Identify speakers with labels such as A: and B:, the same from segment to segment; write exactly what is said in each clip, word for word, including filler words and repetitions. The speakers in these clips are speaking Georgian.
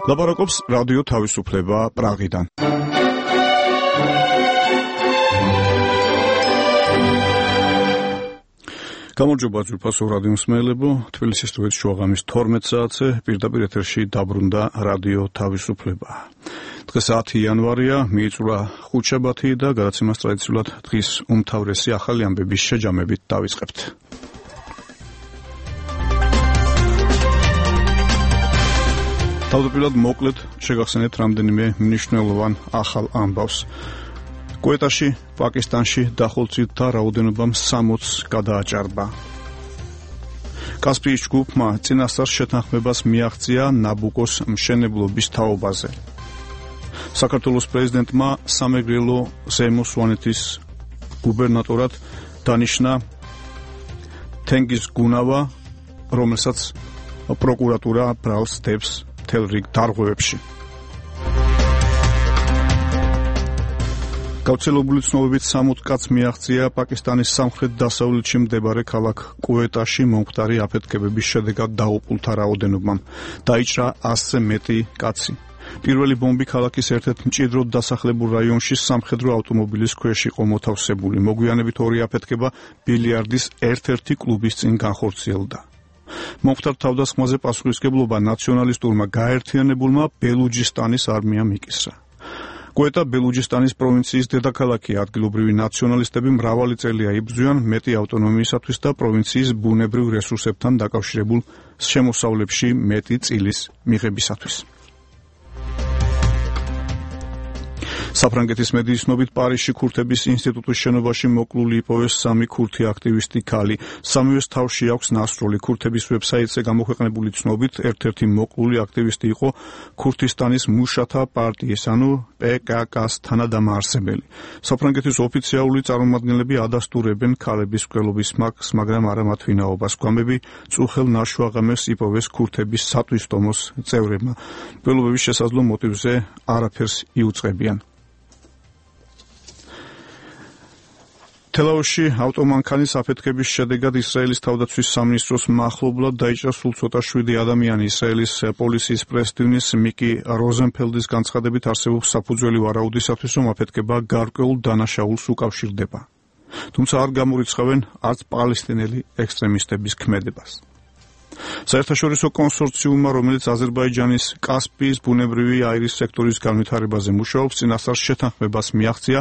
A: ლაპარაკობს რადიო თავისუფლება პრაღიდან. გამარჯობა ძვირფასო რადიო მსმენელებო, თბილისის სტუდიაში შუაღამის თორმეტ საათზე პირდაპირ ეთერში დაბრუნდა რადიო თავისუფლება. დღეს ათი იანვარია, მიიწურა ხუთშაბათი და გადაცემას ტრადიციულად დღის უმთავრესი ახალი ამბების შეჯამებით დავიწყებთ. თავდაპირველად მოკლედ შეგახსენებთ რამდენიმე მნიშვნელოვან ახალ ამბავს. კვეტაში, პაკისტანში დახოლცილთა რაოდენობამ სამოცს გადააჭარბა. კასპიის ჯგუფმა წინასწარ შეთანხმებას მიაღწია ნაბუკოს მშენებლობის თაობაზე. საქართველოს პრეზიდენტმა სამეგრელო ზემო სვანეთის გუბერნატორად დანიშნა თენგიზ გუნავა, რომელსაც პროკურატურა ბრალს დებს მთელ რიგ დარღვევებში. გავრცელებული ცნობებით სამოც კაცს მიაღწია პაკისტანის სამხრეთ-დასავლეთში მდებარე ქალაქ კვეტაში მომხდარი აფეთქებების შედეგად დაუყულთა რაოდენობამ. დაიჭრა ასზე მეტი კაცი. პირველი ბომბი ქალაქის ერთ-ერთ მჭიდროდ დასახლებულ რაიონში სამხედრო ავტომობილის ქვეშ იყო მოთავსებული. მოგვიანებით ორი აფეთქება ბილიარდის ერთ-ერთი კლუბის წინ განხორციელდა. მომხდარ თავდასხმაზე პასუხისმგებლობა ნაციონალისტურმა გაერთიანებულმა ბელუჯისტანის არმიამ იკისრა. კვეტა ბელუჯისტანის პროვინციის დედაქალაქია. ადგილობრივი ნაციონალისტები მრავალი წელია იბრძვიან მეტი ავტონომიისათვის და პროვინციის ბუნებრივ რესურსებთან დაკავშირებულ შემოსავლებში მეტი წილის მიღებისათვის. საფრანგეთის მედიის ცნობით პარიზში ქურთების ინსტიტუტის შენობაში მოკლული იპოვეს სამი ქურთი აქტივისტი ქალი. სამივეს თავში აქვს ნასროლი. ქურთების ვებსაიტზე გამოქვეყნებული ცნობით ერთ-ერთი მოკლული აქტივისტი იყო ქურთისტანის მუშათა პარტიის, ანუ პე კა კას თანადამაარსებელი. საფრანგეთის ოფიციალური წარმომადგენლები ადასტურებენ ქალების მკვლელობის მაგს, მაგრამ არა მათ ვინაობას. გვამები წუხელ ნაშუაღამეს იპოვეს ქურთების სათვისტომოს წევრებმა. მკვლელობების შესაძლო მოტივზე არაფერს იუწყებიან. თელავში ავტომანქანის აფეთქების შედეგად ისრაელის თავდაცვის სამინისტროს მახლობლად დაიჭრა სულ ცოტა შვიდი ადამიანი. ისრაელის პოლიციის პრეს-ტივნის მიკი როზენფელდის განცხადებით არსებობს საფუძველი ვარაუდისათვის, რომ აფეთქება გარკვეულ დანაშაულს უკავშირდება. თუმცა არ გამორიცხავენ არც პალესტინელი ექსტრემისტების ქმედებას. საერთაშორისო კონსორციუმმა, რომელიც აზერბაიჯანის კასპიის ბუნებრივი აირის სექტორის განვითარებაზე მუშაობს, წინასწარ შეთანხმებას მიაღწია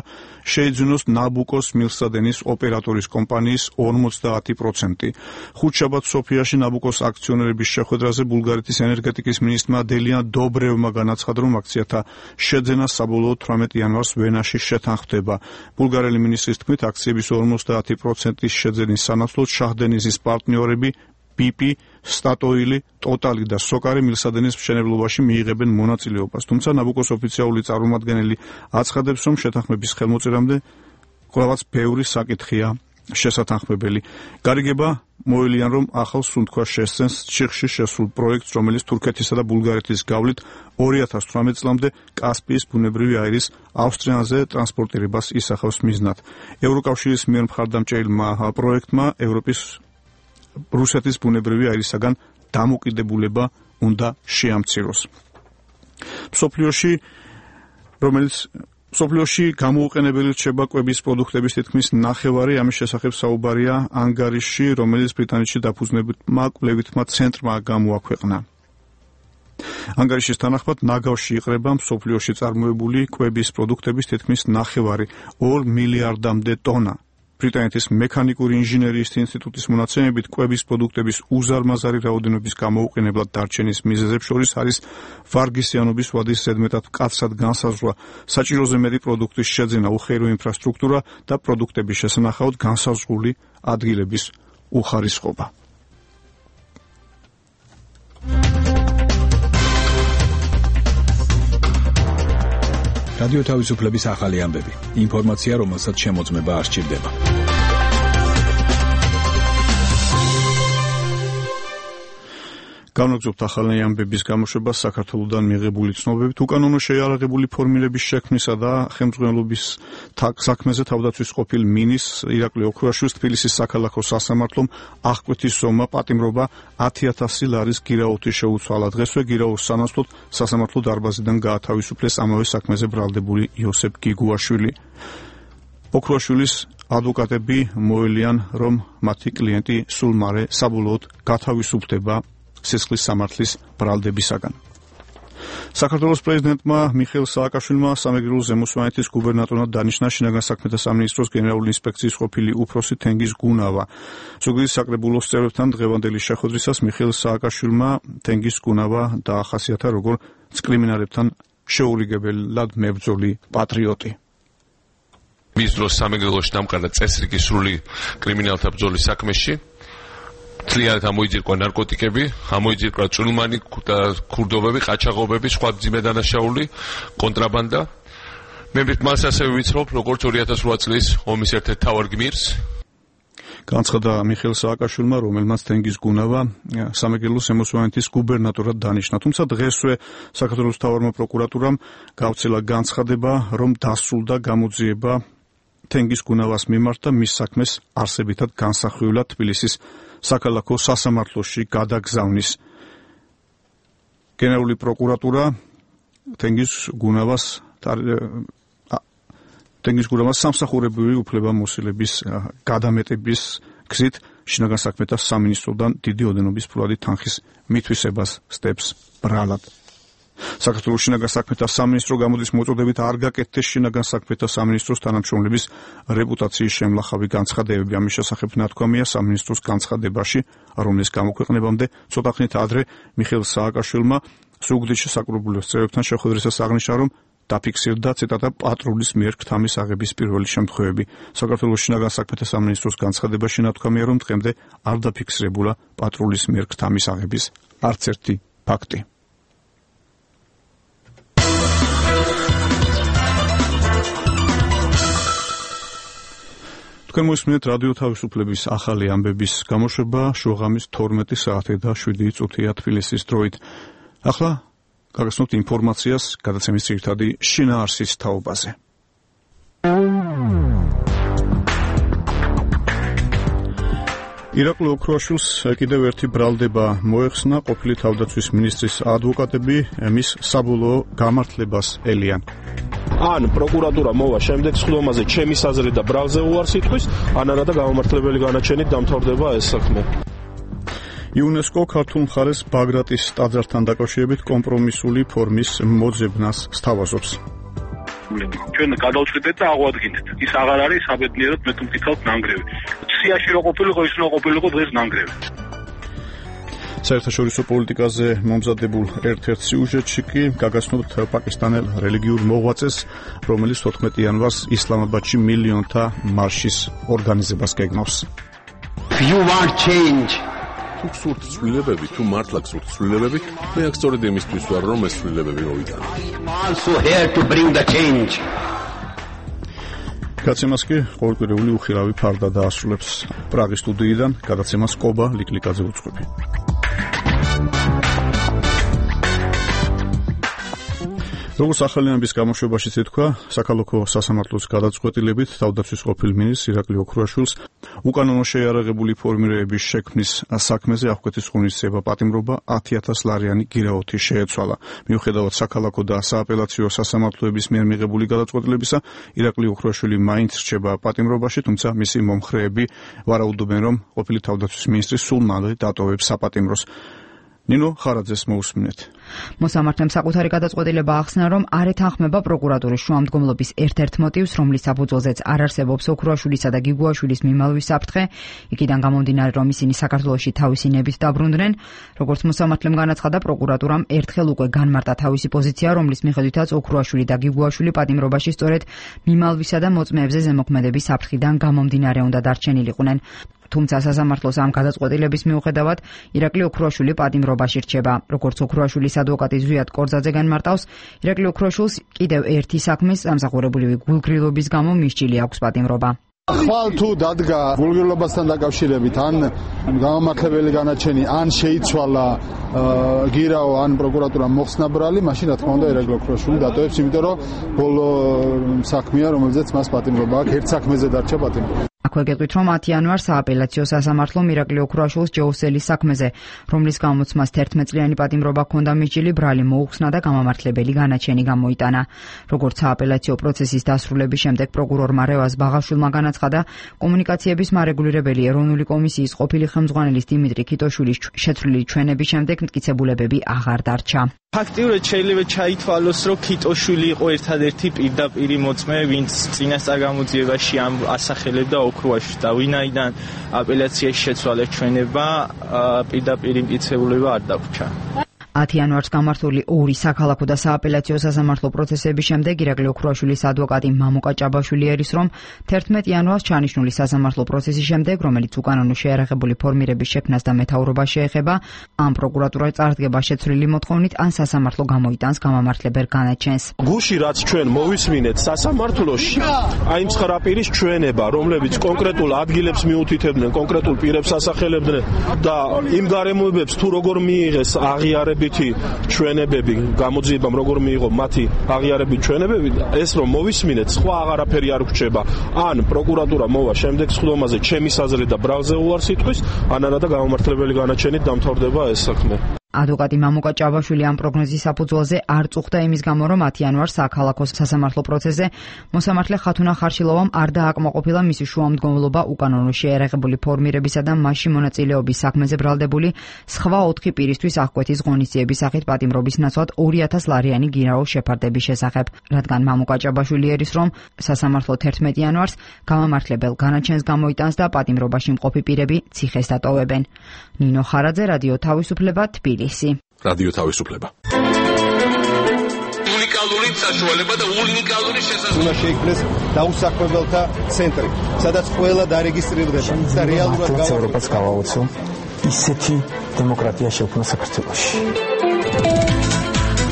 A: შეიძინოს ნაბუკოს მილსადენის ოპერატორის კომპანიის ორმოცდაათი პროცენტი. ხუთშაბათს სოფიაში ნაბუკოს აქციონერების შეხვედრაზე ბულგარეთის ენერგეტიკის მინისტრმა დელიან დობრევმა განაცხადა, რომ აქციათა შეძენა საბოლოოდ თვრამეტ იანვარს ვენაში შეთანხმდება. ბულგარელი მინისტრის თქმით, აქციების ორმოცდაათი პროცენტის შეძენის სანაცვლოდ შაჰდენიზის პარტნიორები პიპი, სტატოილი, ტოტალი და სოკარი მილსადენის მშენებლობაში მიიღებენ მონაწილეობას. თუმცა ნაბუკოს ოფიციალური წარმომადგენელი აცხადებს, რომ შეთანხმების ხელმოწერამდე ყველაც ბევრი საკითხია შესათანხმებელი. გარიგება მოელიან, რომ ახალ სუნთქვას შესცენს ჩიხში შესულ პროექტს, რომელიც თურქეთისა და ბულგარეთის გავლით ორი ათას თვრამეტ წლამდე კასპიის ბუნებრივი აირის ავსტრიაზე ტრანსპორტირებას ისახავს მიზნად. ევროკავშირის მიერ მხარდამჭერილმა პროექტმა ევროპის რუსეთის ბუნებრივი აირისაგან დამოკიდებულება უნდა შეამციროს. მსოფლიოში, რომელიც მსოფლიოში გამოუყენებელი რჩება კვების პროდუქტების თითქმის ნახევარი, ამის შესახებ საუბარია ანგარიშში, რომელიც ბრიტანეთში დაფუძნებულმა კვლევითმა ცენტრმა გამოაქვეყნა. ანგარიშის თანახმად ნაგავში იყრება მსოფლიოში წარმოებული კვების პროდუქტების თითქმის ნახევარი, ორ მილიარდამდე ტონა. ბრიტანეთის მექანიკური ინჟინერიის ინსტიტუტის მონაცემებით კვების პროდუქტების უზარმაზარი რაოდენობის გამოუყენებლად დარჩენის მიზეზებს შორის არის ვარგისიანობის ვადის ზედმეტად მკაცრად განსაზღვრა, საჭიროზე მეტი პროდუქტის შეძენა, უხეირო ინფრასტრუქტურა და პროდუქტების შესანახავად განსაზღვრული ადგილების უხარისხობა.
B: რადიო თავისუფლების ახალი ამბები. ინფორმაცია, რომელსაც შემოწმება არ სჭირდება.
A: Განვაგრძობთ ახალი ამბების გამოშვებას საქართველოდან მიღებული ცნობებით უკანონო შეიარაღებული ფორმირების შექმნისა და ხელმძღვანელობის საქმეზე თავდაცვის ყოფილ მინისტრს ირაკლი ოქრუაშვილს თბილისის საქალაქო სასამართლომ აღკვეთის ზომა პატიმრობა ათი ათასი ლარის გირაოთი შეუცვალა. დღესვე გირაოს სანაცვლოდ სასამართლო დარბაზიდან გაათავისუფლეს ამავე საქმეზე ბრალდებული იოსებ გიგუაშვილი. ოქრუაშვილის ადვოკატები მოელიან, რომ მათი კლიენტი სულ მალე საბოლოოდ გათავისუფლდება სისხლის სამართლის ბრალდებისაგან. საქართველოს პრეზიდენტმა მიხეილ სააკაშვილმა სამეგრელო ზემოსვანეთის გუბერნატორად დანიშნა შინაგან საქმეთა სამინისტროს გენერალური ინსპექციის ყოფილი უფროსი თენგიზ გუნავა. ზუგდიდის საკრებულოს წევრებთან დღევანდელი შეხვედრისას მიხეილ სააკაშვილმა თენგიზ გუნავა დაახასიათა როგორც კრიმინალებთან შეურიგებლად მებრძოლი პატრიოტი.
C: მის დროს სამეგრელოში დამყარა წესრიგი სრული კრიმინალთა ბრძოლის საქმეში. Თლიანად ამოიძირკვა ნარკოტიკები, ამოიძირკვა წვრილმანი და ქურდობები, ყაჩაღობები, სხვა მძიმე დანაშაული, კონტრაბანდა. მე მას ასევე ვიცნობ, როგორც ორი ათას რვა წლის ომის ერთ-ერთ მთავარ გმირს.
A: განცხადა მიხეილ სააკაშვილმა, რომელმაც თენგიზ გუნავა სამეგრელოს ზემოსვანეთის გუბერნატორად დანიშნა. თუმცა დღესვე საქართველოს მთავარმა პროკურატურამ გავრცელა განცხადება, რომ დასრულდა გამოძიება თენგიზ გუნავას მიმართ და მის საქმეს არსებითად განსახილველად თბილისის საქალაქო სასამართლოში გადაგზავნის. გენერალური პროკურატურა თენგიზ გუნავას თენგიზ გუნავას სამსახურებრივი უფლებამოსილების გადამეტების გზით შინაგან საქმეთა სამინისტროდან დიდი ოდენობის ფულადი თანხის მითვისებას სდებს ბრალად. საქართველოს შინაგან საქმეთა სამინისტრო გამოდის მოწოდებით არ გაკეთდეს შინაგან საქმეთა სამინისტროს თანამშრომლების რეპუტაციის შემლახავი განცხადებები. ამის შესახებ ნათქვამია სამინისტროს განცხადებაში, რომლის გამოქვეყნებამდე ცოტა ხნით ადრე მიხეილ სააკაშვილმა ზუგდიდში საკრებულოს წევრებთან შეხვედრისას აღნიშნა, რომ დაფიქსირდა ციტატა პატრულის მიერ ქთამის აღების პირველი შემთხვევები. საქართველოს შინაგან საქმეთა სამინისტროს განცხადებაში ნათქვამია, რომ დღემდე არ დაფიქსირებულა პატრულის მიერ ქთამის აღების არც ერთი ფაქტი. თქვენ მოსმენთ რადიო თავისუფლების ახალი ამბების გამოშვება შუაღამის თორმეტი საათი და შვიდი წუთია თბილისის დროით. ახლა გაგაცნობთ ინფორმაციას გადაცემის ძირითადი შინაარსის თაობაზე. ირაკლი ოქრუაშვილს კიდევ ერთი ბრალდება მოეხსნა. ყოფილი თავდაცვის მინისტრის ადვოკატები მის საბოლოო გამართლებას ელიან.
D: ან პროკურატურა მოვა შემდეგ სხდომაზე ჩემის აზრით და ბრალზე უარს იტყვის, ან არადა გამომართლებელი განაჩენით დამთავრდება ეს საქმე.
A: იუნესკო ქართულ მხარეს ბაგრატის ტაძართან დაკავშირებით კომპრომისული ფორმის მოძებნას სთავაზობს.
E: ჩვენ გადავწყვეტეთ და აღვადგინეთ. ის აღარ არის საბედნიეროდ მე თუ მკითხავთ ნანგრევი. სიაში რო ყოფილიყო, ის რო ყოფილიყო დღეს ნანგრევი.
A: საერთაშორისო პოლიტიკაზე მომზადებულ ერთ-ერთ სიუჟეტში კი გაგაცნობთ პაკისტანელ რელიგიურ მოღვაწეს, რომელიც თოთხმეტი იანვარს ისლამაბადში მილიონთა მარშის ორგანიზებას გეგმავს.
F: You want change.
G: თუ გსურთ ცვლილებები, თუ მართლა გსურთ ცვლილებები, მე აქ სწორედ იმისთვის ვარ, რომ ეს ცვლილებები მოვიტანო.
F: Also here to bring the change.
A: გადაცემას კი ყოველკვირეული უხილავი ფარდა დაასრულებს პრაღის სტუდიიდან. გადაცემას კობა ლიკლიკაძე უძღვები. როგორც ახალი ამბის გამოშვებაში თქვა, საქალაქო სასამართლოს გადაწყვეტილებით თავდაცვის ყოფილ მინისტრს ირაკლი ოქრუაშვილს უკანონო შეიარაღებული ფორმირების შექმნის საქმეზე აღკვეთის ღონისძიება პატიმრობა ათი ათას ლარიანი გირაოთი შეეცვალა. მიუხედავად საქალაქო და სააპელაციო სასამართლოების მიერ მიღებული გადაწყვეტილებისა, ირაკლი ოქრუაშვილი მაინც რჩება პატიმრობაში, თუმცა მისი მომხრეები ვარაუდობენ, რომ ყოფილი თავდაცვის მინისტრი სულ მალე დატოვებს საპატიმროს. ნინო ხარაძეს მოусმინეთ.
H: მოსამართლემ საკუთარი გადაწყვეტილება ახსნა, რომ არ ეთანხმება პროკურატურის შუამდგომლობის ერთ-ერთ მოტივს, რომლის საფუძველზეც არ არსებობს ოქრუაშვილისა და გიგუაშვილის მიმალვის საფრთხე, იქიდან გამომდინარე, რომ ისინი საქართველოში თავისი ნებით დაბრუნდნენ. როგორც მოსამართლემ განაცხადა, პროკურატურამ ერთხელ უკვე განმარტა თავისი პოზიცია, რომლის მიხედვითაც ოქრუაშვილი და გიგუაშვილი პატიმრობაში სწორედ მიმალვისა და მოწმეებზე ზემოქმედების საფრთხიდან გამომდინარე უნდა დარჩენილიყვნენ. თუმცა სასამართლოს ამ გადაწყვეტილების მიუხედავად ირაკლი ოქრუაშვილი პატიმრობაში რჩება. როგორც ოქრუაშვილის ადვოკატი ზვიად კორძაძე განმარტავს, ირაკლი ოქრუაშვილს კიდევ ერთი საქმის სამსახურებრივი გულგრილობის გამო მისჯილი აქვს პატიმრობა.
I: ხვალ თუ დადგა გულგრილობასთან დაკავშირებით ან გამამართლებელი განაჩენი ან შეიცვალა გირაო ან პროკურატურა მოხსნა ბრალი, მაშინ რა თქმა უნდა ირაკლი ოქროშვილი დატოვებს, იმიტომ რომ ბოლო საქმეა, რომელზეც მას პატიმრობა აქვს, ერთ საქმეზე დარჩა პატიმრობა.
H: აქვე გეტყვით, რომ ათი იანვარს სააპელაციო სასამართლომ ირაკლი ოქროაშვილის ჯეუსელის საქმეზე, რომლის გამოც მას თერთმეტ წლიანი პატიმრობა ჰქონდა მიჭილი, ბრალი მოუხსნა და გამამართლებელი განაჩენი გამოიტანა. როგორც სააპელაციო პროცესის დასრულების შემდეგ პროკურორმა რევაზ ბაღაშვილმა განაცხადა, კომუნიკაციების მარეგულირებელი ეროვნული კომისიის ყოფილი ხელმძღვანელის დიმიტრი ქიტოშვილის შეცვლილი ჩვენების შემდეგ მტკიცებულებები აღარ დარჩა.
J: ფაქტიურად შეიძლება ჩაითვალოს, რომ ქიტოშვილი იყო ერთადერთი პირდაპირი მოწმე, ვინც წინასწარ გამოძიებაში ამ ასახელებდა ოქროაშვილს და ვინაიდან აპელაციაში შეცვალა ჩვენება, პირდაპირი მტკიცებულება არ დაგვრჩა. ათი იანვარს გამართული ორი საქალაქო და სააპელაციო სასამართლო პროცესების შემდეგ ირაკლი ოქროაშვილის ადვოკატი მამუკა ჭაბაშვილი ერის, რომ თერთმეტ იანვარს ჩანიშნული სასამართლო პროცესის შემდეგ, რომელიც უკანონო შეიარაღებული ფორმირების შექმნას და მეთაურობას შეეხება, ან პროკურატურა წარდგება შეცვლილი მოთხოვნით, ან სასამართლო გამოიტანს გამამართლებელ განაჩენს.
D: გუში რაც ჩვენ მოვისმინეთ სასამართლოში, აი ცხრა პირის ჩვენება, რომლებიც კონკრეტულ ადგილებს მიუთითებდნენ, კონკრეტულ პირებს ასახელებდნენ და იმ გარემოებებს თუ როგორ მიიღეს აღიარება ჩვენებები, გამოძიებამ როგორ მიიღო მათი აღიარებით ჩვენებები, ეს რომ მოვისმინეთ, სხვა აღარაფერი არ გვჭება. ან პროკურატურა მოვა შემდეგ სხდომაზე ჩემის აზრით და ბრალზე უარს იტყვის, ან არადა გამამართლებელი განაჩენით დამთავრდება ეს საქმე.
H: ადვოკატი მამუკა ჭაბაშვილი ამ პროგნოზის საფუძველზე არ წუხდა იმის გამო, რომ ათი იანვარს საქალაქო სასამართლო პროცესზე მოსამართლე ხათუნა ხარშილოვამ არ დააკმაყოფილა მისი შუამდგომლობა უკანონო შეიარაღებული ფორმირებისა და მასში მონაწილეობის საქმეზე ბრალდებული სხვა ოთხი პირისთვის აღკვეთის ღონისძიების სახით პატიმრობის ნაცვლად ორი ათას ლარიანი გირაო შეფარდების შესახებ, რადგან მამუკა ჭაბაშვილი ერის, რომ სასამართლო თერთმეტ იანვარს გამამართლებელ განაჩენს გამოიტანს და პატიმრობაში მყოფი პირები ციხეს დატოვებენ. ნინო ხარაძე, რადიო თავისუფლება, თბილისი.
G: რადიო თავისუფლება.
C: უნიკალური საშუალება და უნიკალური შესაძლებლობა.
K: უნდა შეიქმნეს დაუსახლებელთა ცენტრი, სადაც ყველა დარეგისტრირდება და რეალურად
L: ევროპას გავაოცო ისეთი დემოკრატია შექმნა საქართველოში.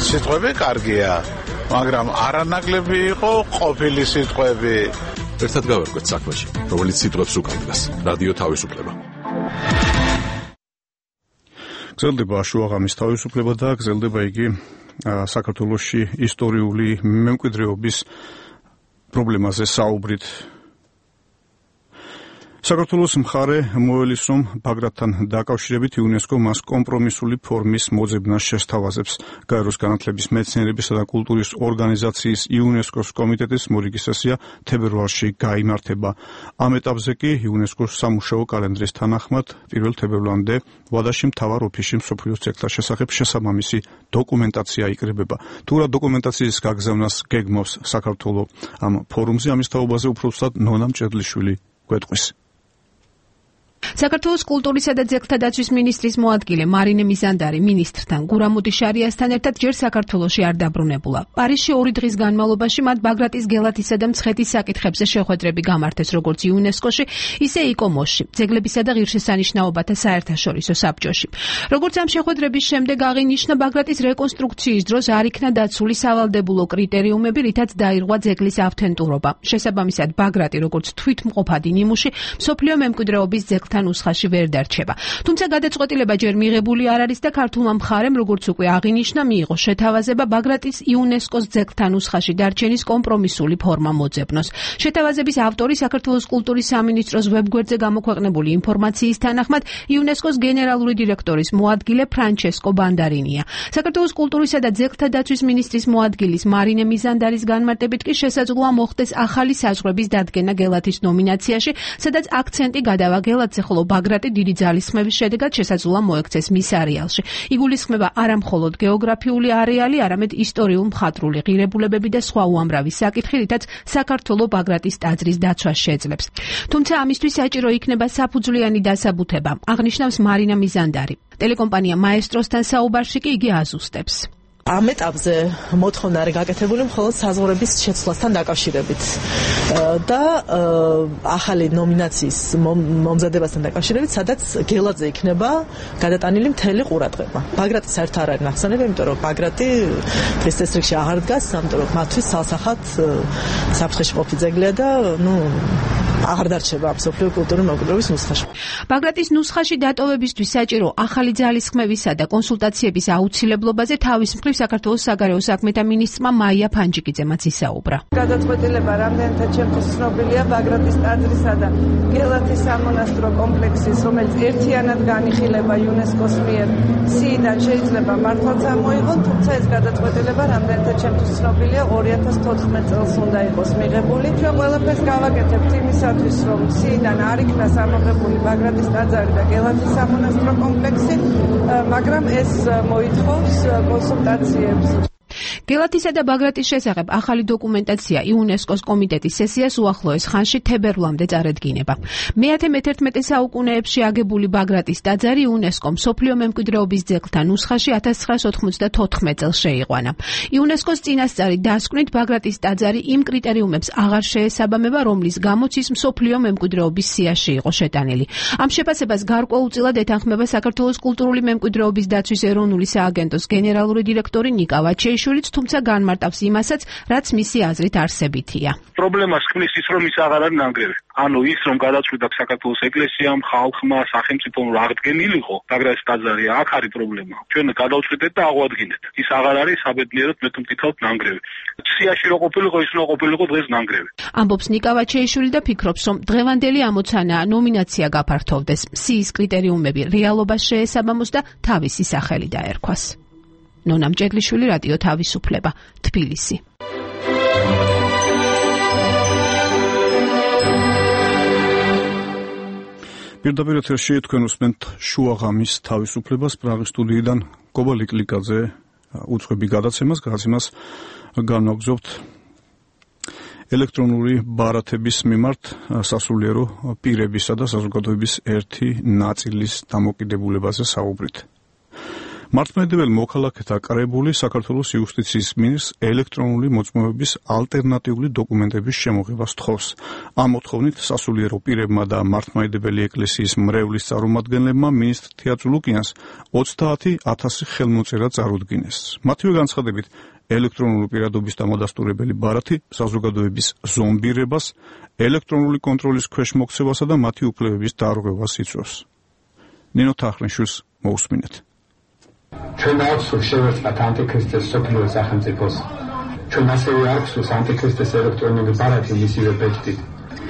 M: სიტყვები კარგია, მაგრამ არანაკლები იყო ყოფილი სიტყვები.
G: ერთად გავერკვეთ საქმეში, რომელიც სიტყვებს უკავშირდება. რადიო თავისუფლება.
A: გრძელდება შუაღამის თავისუფლება და გრძელდება იგი საქართველოში ისტორიული მემკვიდრეობის პრობლემაზე საუბრით. საქართველოს მხარე მოელის, რომ ბაგრატთან დაკავშირებით იუნესკო მას კომპრომისული ფორმის მოძებნას შესთავაზებს. გაეროს განათლების, მეცნიერებისა და კულტურის ორგანიზაციის იუნესკოს კომიტეტის მორიგი სესია თებერვალში გაიმართება. ამ ეტაპზე კი იუნესკოს სამუშაო კალენდრის თანახმად პირველ თებერვლამდე ვადაში მთავარ ოფისში მსოფლიოს ძეგლთა შესახებ შესაბამისი დოკუმენტაცია იკრიბება. თუ რა დოკუმენტაციის გაგზავნას გეგმავს საქართველო ამ ფორუმზე, ამის თაობაზე უფრო სწორად ნონა მჭედლიშვილი გვეტყვის.
N: საქართველოს კულტურისა და ძეგლთა დაცვის მინისტრის მოადგილე მარინე მიზანდარი მინისტრთან გურამუდი შარიასთან ერთად ჯერ საქართველოში არ დაბრუნებულა. პარიზში ორი დღის განმავლობაში მათ ბაგრატის გელათისა და მცხეთის საკითხებზე შეხვედრები გამართეს როგორც იუნესკოში, ისე იკომოსში, ძეგლებისა და ღირსშესანიშნაობათა საერთაშორისო საბჭოში. როგორც ამ შეხვედრების შემდეგ აღინიშნა, ბაგრატის რეკონსტრუქციის დროს არ იქნა დაცული სავალდებულო კრიტერიუმები, რითაც დაირღვა ძეგლის ავთენტურობა. შესაბამისად, ბაგრატი როგორც თვითმყოფადი ნიმუში მსოფლიო მემკვიდრეობის ძეგლთა ნუსხაში ვერ დარჩება. თუმცა გადაწყვეტილება ჯერ მიღებული არ არის და ქართულმა მხარემ, როგორც უკვე აღინიშნა, მიიღო შეთავაზება ბაგრატის იუნესკოს ძეგლთა ნუსხაში დარჩენის კომპრომისული ფორმა მოძებნოს. შეთავაზების ავტორი საქართველოს კულტურის სამინისტროს ვებგვერდზე გამოქვეყნებული ინფორმაციის თანახმად იუნესკოს გენერალური დირექტორის მოადგილე ფრანჩესკო ბანდარინია. საქართველოს კულტურისა და ძეგლთა დაცვის მინისტრის მოადგილის მარინე მიზანდარის განმარტებით კი შესაძლოა მოხდეს ახალი საზღვრების დადგენა გელათის ნომინაციაში, სადაც აქცენტი გადავა გელათზე, ხოლო ბაგრატი დიდი ძალისხმევის შედეგად შესაძლოა მოექცეს მის არეალში. იგულისხმება არა მხოლოდ გეოგრაფიული არეალი, არამედ ისტორიულ-მხატვრული ღირებულებები და სხვა უამრავი საკითხი, რითაც საქართველო ბაგრატის ტაძრის დაცვას შეძლებს. თუმცა ამისთვის საჭირო იქნება საფუძვლიანი დასაბუთება, აღნიშნავს მარინა მიზანდარი. ტელეკომპანია მაესტროსთან საუბარში კი იგი აზუსტებს.
O: ამ ეტაპზე მოთხოვნა არის გაკეთებული მხოლოდ საზღვრების შეცვლასთან დაკავშირებით და ახალი ნომინაციის მომზადებასთან დაკავშირებით, სადაც გელათზე იქნება გადატანილი მთელი ყურადღება. ბაგრატი საერთოდ არ არის ნახსენები, იმიტომ რომ ბაგრატი დღის წესრიგში აღარ დგას, ამიტომ მათთვის სალსახად საფრთხეში ყოფილი ძეგლია და ნუ აღარ დარჩება მსოფლიო კულტურული მემკვიდრეობის ნუსხაში.
N: ბაგრატის ნუსხაში დატოვებისთვის საჭირო ახალი ძალისხმევისა და კონსულტაციების აუცილებლობაზე თავის მხრივ საქართველოს საგარეო საქმეთა მინისტრმა მაია ფანჯიკიძემაც ისაუბრა.
P: გადაწყვეტილება რამდენთა ჩემთვის ცნობილია ბაგრატის ტაძრისა და გელათის სამონასტრო კომპლექსის, რომელიც ერთიანად განიხილება იუნესკოს მიერ სიიდან შეიძლება მართლაც ამოიღონ, თუმცა ეს გადაწყვეტილება რამდენთა ჩემთვის ცნობილია ორი ათას თოთხმეტ წელს უნდა იყოს მიღებული. ჩვენ ყველაფერს გავაკეთებთ იმისათვის, რომ სიიდან არ იქნას ამოღებული ბაგრატის ტაძარი და გელათის სამონასტრო კომპლექსი, მაგრამ ეს მოითხოვს კონსულტაციებს.
N: გელათისა და ბაგრატის შესახებ ახალი დოკუმენტაცია იუნესკოს კომიტეტის სესიას უახლოეს ხანში თებერვლამდე წარედგინება. მეათე მეთერთმეტე საუკუნეებში აგებული ბაგრატის ტაძარი იუნესკომ მსოფლიო მემკვიდრეობის ძეგლთა ნუსხაში ათას ცხრაას ოთხმოცდათოთხმეტ წელს შეიყვანა. იუნესკოს წინასწარი დასკვნით ბაგრატის ტაძარი იმ კრიტერიუმებს აღარ შეესაბამება, რომლის გამოც ის მსოფლიო მემკვიდრეობის სიაში იყო შეტანილი. ამ შეფასებას გარკვეულწილად ეთანხმება საქართველოს კულტურული მემკვიდრეობის დაცვის ეროვნული სააგენტოს გენერალური დირექტორი ნიკა ვაჩეიშვილიც, თუმცა განმარტავს იმასაც, რაც მისი აზრით არსებითია.
E: პრობლემას ქმნის ის, რომ ის აღარ არის ნანგრევი. ანუ ის, რომ გადაწყვიტა საქართველოს ეკლესიამ, ხალხმა, სახელმწიფომ რა აღდგენილიყო, ბაგრატის ტაძარი, აქ არის პრობლემა. ჩვენ გადავწყვიტეთ და აღვადგინეთ. ის აღარ არის საბედნიეროდ მე თუ მკითხავთ ნანგრევი. სიაში რო ყოფილიყო, ის რო ყოფილიყო დღეს ნანგრევი.
N: ამბობს ნიკა ვაჩეიშვილი და ფიქრობს, რომ დღევანდელი ამოცანა ნომინაცია გაფართოვდეს, სიის კრიტერიუმები რეალობას შეესაბამოს და თავისი სახელი დაერქვას. ნონა მჭედლიშვილი, რადიო თავისუფლება, თბილისი.
A: პირდაპირ ეთერში თქვენ უსმენთ შუაღამის თავისუფლებას პრაღის სტუდიიდან გობა ლიკლიკაძე უწყები გადაცემას, გადაცემას განვაგრძობთ ელექტრონული ბარათების მიმართ სასულიერო პირებისა და საზოგადოების ერთი ნაწილის დამოკიდებულებაზე საუბრით. მართლმადიდებელ მოქალაქეთა კრებული საქართველოს იუსტიციის მინისტრს ელექტრონული მოწმობების ალტერნატიული დოკუმენტების შემოღებას თხოვს. ამ მოთხოვნით სასულიერო პირებმა და მართლმადიდებელი ეკლესიის მრევლის წარმომადგენლებმა მინისტრ თეატრ ლუკიანს ოცდაათი ათასი ხელმოწერა წარუდგინეს. მათივე განცხადებით, ელექტრონული პირადობის დამადასტურებელი ბარათი საზოგადოების ზომბირებას, ელექტრონული კონტროლის ქვეშ მოქცევასა და მათი უფლებების დარღვევას იწვევს. ნინო თახრნიშვილს მოусმინეთ.
L: ჩვენ აქვს შევერწყათ ანტიქრისტეს სოფლიო სახელმწიფოს. ჩვენ ასევე აქვს ანტიქრისტეს ელექტრონული ბარათი მისივე ბეჭდით.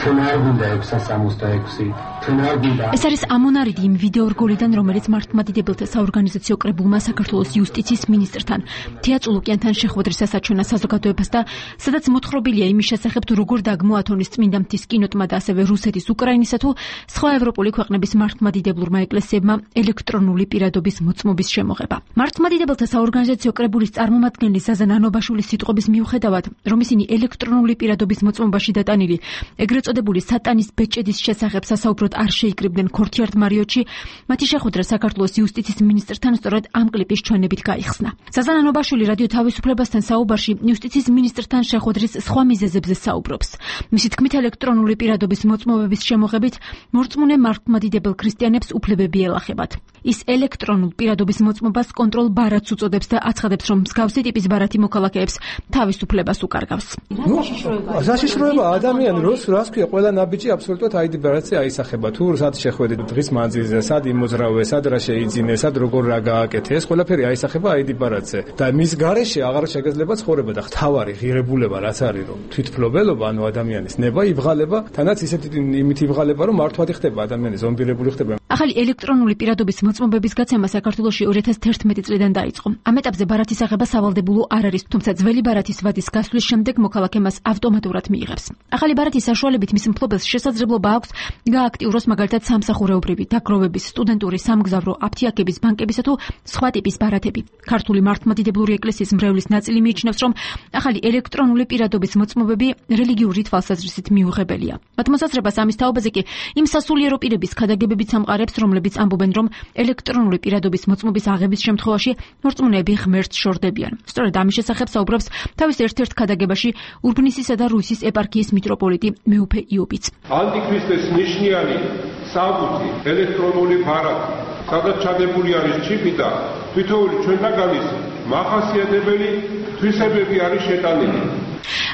L: ჩვენ არ გვინდა ექვსას სამოცდაექვსი. ჩვენ არ გვინდა.
Q: ეს არის ამონარიდი იმ ვიდეო რგოლიდან, რომელიც მართლმადიდებელთა საორგანიზაციო კრებულმა საქართველოს იუსტიციის მინისტრთან თეატრ ლუკიანთან შეხვედრის ასაჩვენა საზოგადოებას და სადაც მოთხრობილია იმის შესახებ, თუ როგორ დაგმოათონის წმინდა მთის კინოტმა და ასევე რუსეთის, უკრაინისა თუ სხვა ევროპული ქვეყნების მართლმადიდებლურმა ეკლესიებმა ელექტრონული პირადობის მოწმობის შემოღება. მართლმადიდებელთა საორგანიზაციო კრებულის წარმომადგენელი ზაზა ნანობაშვილის სიტყვების მიუხედავად, რომ ისინი ელექტრონული პირადობის მოწმობაში დატანილი ეგრეთ წოდებული სატანის ბეჭედის შესახებ სასაუბროდ არ შეიკრიბნენ ქორთიარდ მარიოტში, მათი შეხვედრა საქართველოს იუსტიციის მინისტრთან სწორედ ამ კლიპის ჩვენებით გაიხსნა. ზაზა ნანობაშვილი რადიო თავისუფლებასთან საუბარში იუსტიციის მინისტრთან შეხვედრის სხვა მიზეზებზე საუბრობს. მისი თქმით, ელექტრონული პირადობის მოწმობების შემოღებით მორწმუნე მართლმადიდებელ ქრისტიანებს უფლებები ელახებათ. ის ელექტრონულ პირადობის მოწმობას კონტროლ ბარათს უწოდებს და აცხადებს, რომ მსგავსი ტიპის ბარათი მოქალაქეებს თავისუფლებას უკარგავს.
R: საშიშროება ადამიანი როს რას ქვია, ყველა ნაბიჯი აბსოლუტურად აიდი ბარათზე აისახება. თუ სად შეხვედით დღის მანძილზე, სად იმოძრავე, სად რა შეიძინე, სად როგორ რა გააკეთე, ეს ყველაფერი აისახება აიდი ბარათზე. და მის გარეშე აღარ შეგეძლება ცხოვრება და ხთავარი ღირებულება რაც არის, რომ თვითფლობელობა, ანუ ადამიანის ნება იბღალება, თანაც ისეთი იმით იბღალება, რომ მართვადი ხდება ადამიანი, ზომბირებული ხდება.
Q: ახალი ელექტრონული პირადობის მოწმობების გაცემა საქართველოში ორი ათას თერთმეტი წლიდან დაიწყო. ამ ეტაპზე ბარათის აღება სავალდებულო არ არის, თუმცა ძველი ბარათის ვადის გასვლის შემდეგ მოქალაქე მას ავტომატურად მიიღებს. ახალი ბარათის საშუალებით მის მფლობელს შესაძლებლობა აქვს გააქტიუროს მაგალითად სამსახურეობრივი, დაგროვების, სტუდენტური, სამგზავრო, აფთიაქების, ბანკებისა თუ სხვა ტიპის ბარათები. ქართული მართლმადიდებლური ეკლესიის მრევლის ნაწილი მიიჩნევს, რომ ახალი ელექტრონული პირადობის მოწმობები რელიგიური თვალსაზრისით მიუღებელია. მათ მოსაზრებას ამის თაობაზე კი იმ სასულიერო პირების ქადაგებებით სამყარებს, რომლებიც ამბობენ, რომ ელექტრონული პირადობის მოწმობის აღების შემთხვევაში მორწმუნეები ღმერთს შორდებიან. სწორედ ამის შესახებ საუბრობს თავის ერთ-ერთ ქადაგებაში ურბნისისა და რუსის ეპარქიის მიტროპოლიტი მეუფე იობიც.
S: ანტიქრისტეს ნიშნიანი საბუთი ელექტრონული ბარათი, სადაც ჩადებული არის ჩიპი და თითოეული ჩვენთაგანის მახასიათებელი თვისებები არის შეტანილი.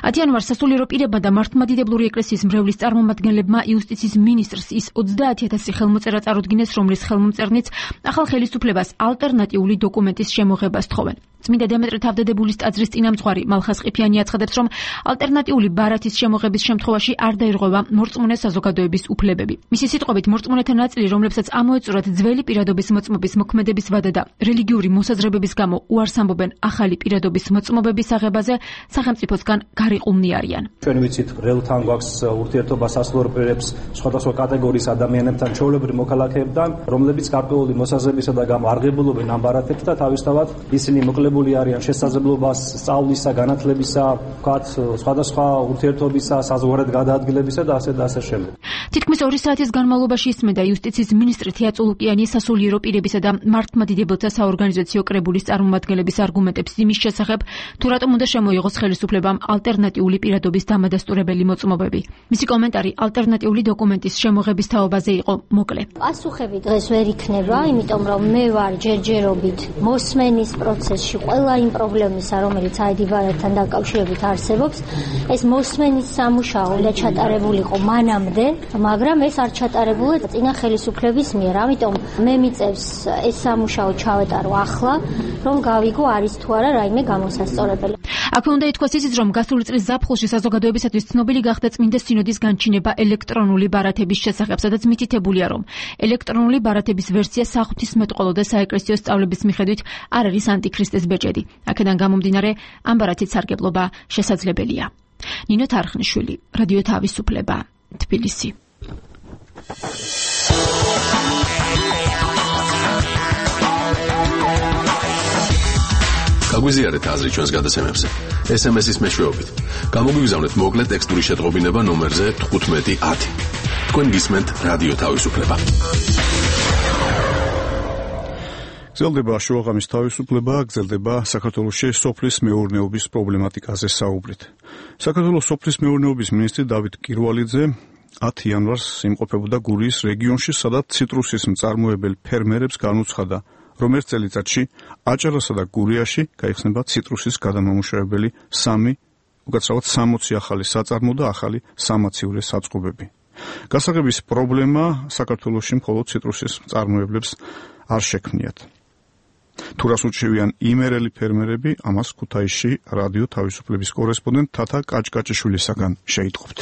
Q: ათი იანვარს სასულიერო პირებმა და მართლმადიდებლური ეკლესიის მრევლის წარმომადგენლებმა იუსტიციის მინისტრს ის ოცდაათი ათასი ხელმოწერა წარუდგინეს, რომლის ხელმომწერნიც ახალ ხელისუფლებას ალტერნატიული დოკუმენტის შემოღებას თხოვენ. წმინდა დემეტრე თავდადებულის ტაძრის წინამძღვარი მალხას ყიფიანი აცხადებს, რომ ალტერნატიული ბარათის შემოღების შემთხვევაში არ დაირღვევა მორწმუნე საზოგადოების უფლებები. მისი სიტყვებით, მორწმუნეთა ნაწილი, რომლებსაც ამოეწურათ ძველი პირადობის მოწმობის მოქმედების ვადა და რელიგიური მოსაზრებების გამო უარს ამბობენ ახალი პირადობის მოწმობების აღებაზე, სახელმწიფოსგან გარიყումნი არიან.
T: ჩვენ ვიცით, რელთან გვაქვს ურთიერთობა სასულიერო პირებს სხვადასხვა კატეგორიის ადამიანებთან, ჩვეულებრივ მოქალაქეებთან, რომლებიც გარკვეული მოსაზრებისა და გამო არღებულობენ ამ ბარათებს და თავისთავად ისინი მოკლებული არიან შესაძლებლობას სწავლისა, განათლებისა, ვთქვათ, სხვადასხვა ურთიერთობისა, საზღვარგარეთ გადაადგილებისა და ასე და ასე შემდეგ.
Q: თითქმის ორი საათის განმავლობაში ისმენდა იუსტიციის მინისტრი თეა წულუკიანი სასულიერო პირებისა და მართლმადიდებლთა საორგანიზაციო კრებულის წარმომადგენლების არგუმენტებს იმის შესახებ, თუ რატომ უნდა შემოიღოს ხელისუფლებამ ალტერნატიული პირადობის დამადასტურებელი მოწმობები. მისი კომენტარი ალტერნატიული დოკუმენტის შემოღების თაობაზე იყო მოკლე.
U: პასუხები დღეს ვერ იქნება, იმიტომ რომ მე ვარ ჯერჯერობით მოსმენის პროცესში ყველა იმ პრობლემისა, რომელიც აიდი ბარათთან დაკავშირებით არსებობს, ეს მოსმენის სამუშაო უნდა ჩატარებულიყო მანამდე, მაგრამ ეს არ ჩატარებულა წინა ხელისუფლების მიერ. ამიტომ მე მიწევს ეს სამუშაო ჩავეტარო ახლა, რომ გავიგო არის თუ არა რაიმე გამოსასწორებელი.
Q: აქვე უნდა ითქვას ისიც, რომ გასული წლის ზაფხულში საზოგადოებისათვის ცნობილი გახდა წმინდა სინოდის განჩინება ელექტრონული ბარათების შესახებ, სადაც მითითებულია, რომ ელექტრონული ბარათების ვერსია საღვთისმეტყველო და საეკლესიო სწავლების მიხედვით არ არის ანტიქრისტეს ბეჭედი. აქედან გამომდინარე, ამ ბარათით სარგებლობა შესაძლებელია. ნინო თარხნიშვილი, რადიო თავისუფლება, თბილისი.
G: გაგვიზიარეთ აზრი ჩვენს გადაცემებზე. ეს ემ ეს-ის მეშვეობით. გამოგვიგზავნეთ მოკლე ტექსტური შეტყობინება ნომერზე თხუთმეტი ათი. თქვენ გისმენთ რადიო თავისუფლება.
A: გრძელდება შუაღამის თავისუფლება, გრძელდება საქართველოში სოფლის მეურნეობის პრობლემატიკაზე საუბრით. საქართველოს სოფლის მეურნეობის მინისტრი დავით კირვალიძე ათი იანვარს იმყოფებოდა გურიის რეგიონში, სადაც ციტრუსის მწარმოებელ ფერმერებს განუცხადა, რომ ერთ წელიწადში აჭარასა და გურიაში გაიხსნება ციტრუსის გადამამუშავებელი სამი, უკაცრავად სამოცი ახალი საწარმო და ახალი სამაცივრე საწყობები. გასაღების პრობლემა საქართველოში მხოლოდ ციტრუსის მწარმოებლებს არ შექმნიათ. თუ რას უჩვევიან იმერელი ფერმერები, ამას ქუთაისში რადიო თავისუფლების კორესპონდენტ თათა კაჭკაჭიშვილისაგან შეიტყობთ.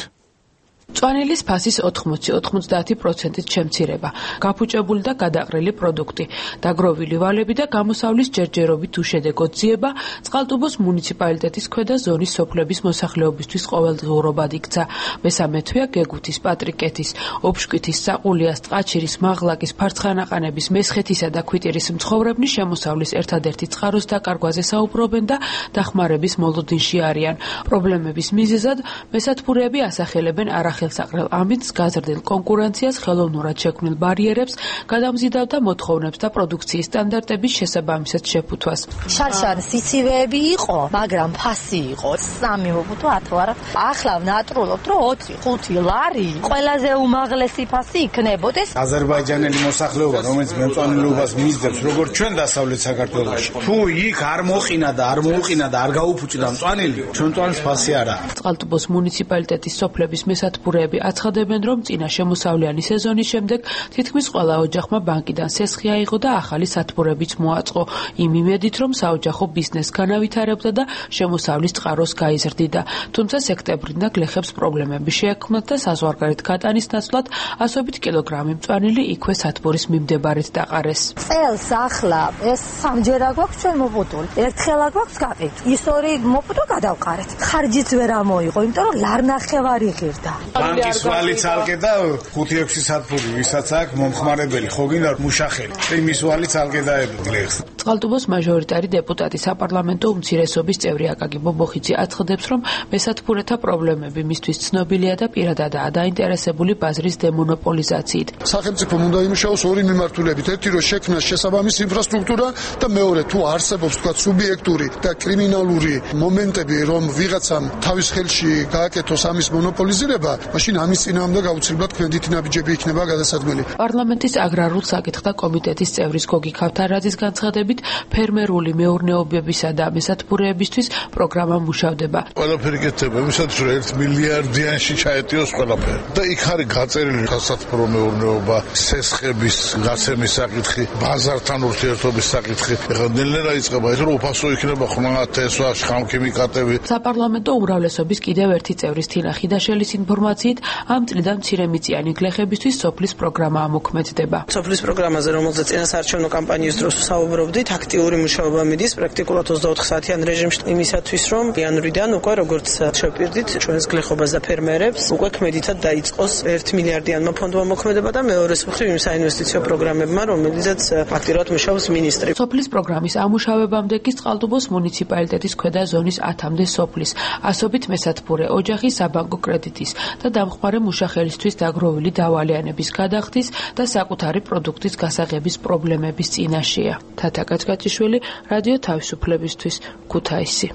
V: მწვანილის ფასის ოთხმოცი ოცდაათი პროცენტით შემცირება, გაფუჭებული და გადაყრილი პროდუქტი, დაგროვილი ვალები და გამოსავლის ჯერჯერობით უშედეგო ძიება წყალტუბოს მუნიციპალიტეტის ქვედა ზონის სოფლების მოსახლეობისთვის ყოველდღიურობად იქცა. მესამე თვეა გეგუთის, პატრიკეთის, ოფშკვითის, საყულიას, ტყაჩირის, მაღლაკის, ფარცხანაყანების, მესხეთისა და ქვიტირის მცხოვრებნი შემოსავლის ერთადერთი წყაროს დაკარგვაზე საუბრობენ და დახმარების მოლოდინში არიან. პრობლემების მიზეზად მესათბურეები ასახელებენ არა ხელსაყრელ ამინდს, გაზრდილ კონკურენციას, ხელოვნურად შექმნილ ბარიერებს, გადამზიდავ და მოთხოვნებს და პროდუქციის სტანდარტების შესაბამისად შეფუთვას.
W: შარშანის სიცივეები იყო, მაგრამ ფასი იყო სამი მობუთო ათვარა. ახლა ნატრულობთ, რომ ოთხი ხუთი ლარი ყველაზე უმაღლესი ფასი იქნებოდეს.
M: აზერბაიჯანელი მოსახლეობა, რომელიც მეწვანილობას მისდევს, როგორც ჩვენ დასავლეთ საქართველოში, თუ იქ არ მოყინა და არ მოუყინა და არ გაუფუჭდა მწვანილი, ჩვენ მწვანის ფასი არა.
V: წყალტუბოს მუნიციპალიტეტის სოფლების მესათბურეები აცხადებენ, რომ წინა შემოსავლიანი სეზონის შემდეგ თითქმის ყველა ოჯახმა ბანკიდან სესხი აიღო და ახალი სათბურებიც მოაწყო, იმ იმედით, რომ საოჯახო ბიზნესს განავითარებდა და შემოსავლის წყაროს გაიზრდიდა. თუმცა სექტემბრიდან გლეხებს პრობლემები შეექმნათ და საზღვარგარეთ გატანის ნაცვლად ასობით კილოგრამი მწვანილი იქვე სათბურის მიმდებარედ დაყარეს.
W: წელს ახლა ეს სამჯერა გვაქვს ჩვენ მოპუტული. ერთხელა გვაქვს გაყიდ. ის ორი მოპუტო გადავყარეთ. ხარჯიც ვერ ამოიღო, იმიტომ რომ ლარნახევარი ღირდა.
M: ბანკის ვალი ცალკე და ხუთი ექვსი სათბური, ვისაც აქვს მომხმარებელი, ხო გინდა მუშახელი. იმის ვალი ცალკე დაებგლეხს.
V: წყალტუბოს მაჟორიტარი დეპუტატი საპარლამენტო უმცირესობის წევრი აკაკი ბობოხიძე აცხადებს, რომ მესათბურეთა პრობლემები მისთვის ცნობილია და პირადადაა დაინტერესებული ბაზრის დემონოპოლიზაციით.
X: სახელმწიფომ უნდა იმუშაოს ორი მიმართულებით. ერთი რომ შექმნას შესაბამისი ინფრასტრუქტურა და მეორე თუ არსებობს თქვა სუბიექტური და კრიმინალური მომენტები, რომ ვიღაცამ თავის ხელში გააკეთოს ამის მონოპოლიზირება, მაშინ ამის წინააღმდეგ აუცილებლად ქვენდითი ნაბიჯები იქნება გადასადგმელი.
V: პარლამენტის აგრარულ საკითხთა კომიტეტის წევრის გოგი ქავთარაძის განცხადებით, მიხედვით ფერმერული მეურნეობებისა და მესათბურეებისთვის პროგრამა მუშავდება.
X: ყველაფერი გეთება იმისათვის, რომ ერთ მილიარდიანში ჩაეტიოს ყველაფერი. და იქ არის გაწერილი სასათბურო მეურნეობა, სესხების გაცემის საკითხი, ბაზართან ურთიერთობის საკითხი. ეხლა ნელ-ნელა იწყება ეს, რომ უფასო იქნება ხმა, თესვა, შხამქიმიკატები.
V: საპარლამენტო უმრავლესობის კიდევ ერთი წევრის თინა ხიდაშელის ინფორმაციით, ამ წლიდან მცირემიწიანი გლეხებისთვის სოფლის პროგრამა ამოქმედდება.
B: სოფლის პროგრამაზე, რომელზეც წინასაარჩევნო კამპანიის დროს ვსაუბრობდით, აქტიური მუშაობა მიდის პრაქტიკულად ოცდაოთხ საათიან რეჟიმში იმისათვის, რომ იანვრიდან უკვე როგორც შევპირდით ჩვენს გლეხობას და ფერმერებს, უკვე ქმედითად დაიწყოს ერთ მილიარდიანმა ფონდმა მოქმედება და მეორეს მხრივ იმ საინვესტიციო პროგრამებმა, რომელზეც აქტიურად მუშაობს მინისტრი.
V: სოფლის პროგრამის ამუშავებამდე კი წყალტუბოს მუნიციპალიტეტის ქვედა ზონის ათამდე სოფლის, ასობით მესათბურე ოჯახის საბანკო კრედიტის და დამხმარე მუშახელისთვის დაგროვილი დავალიანების გადახდის და საკუთარი პროდუქტის გასაღების პრობლემების წინაშეა. თათა კაჭკაჭიშვილი, რადიო თავისუფლებისთვის, ქუთაისი.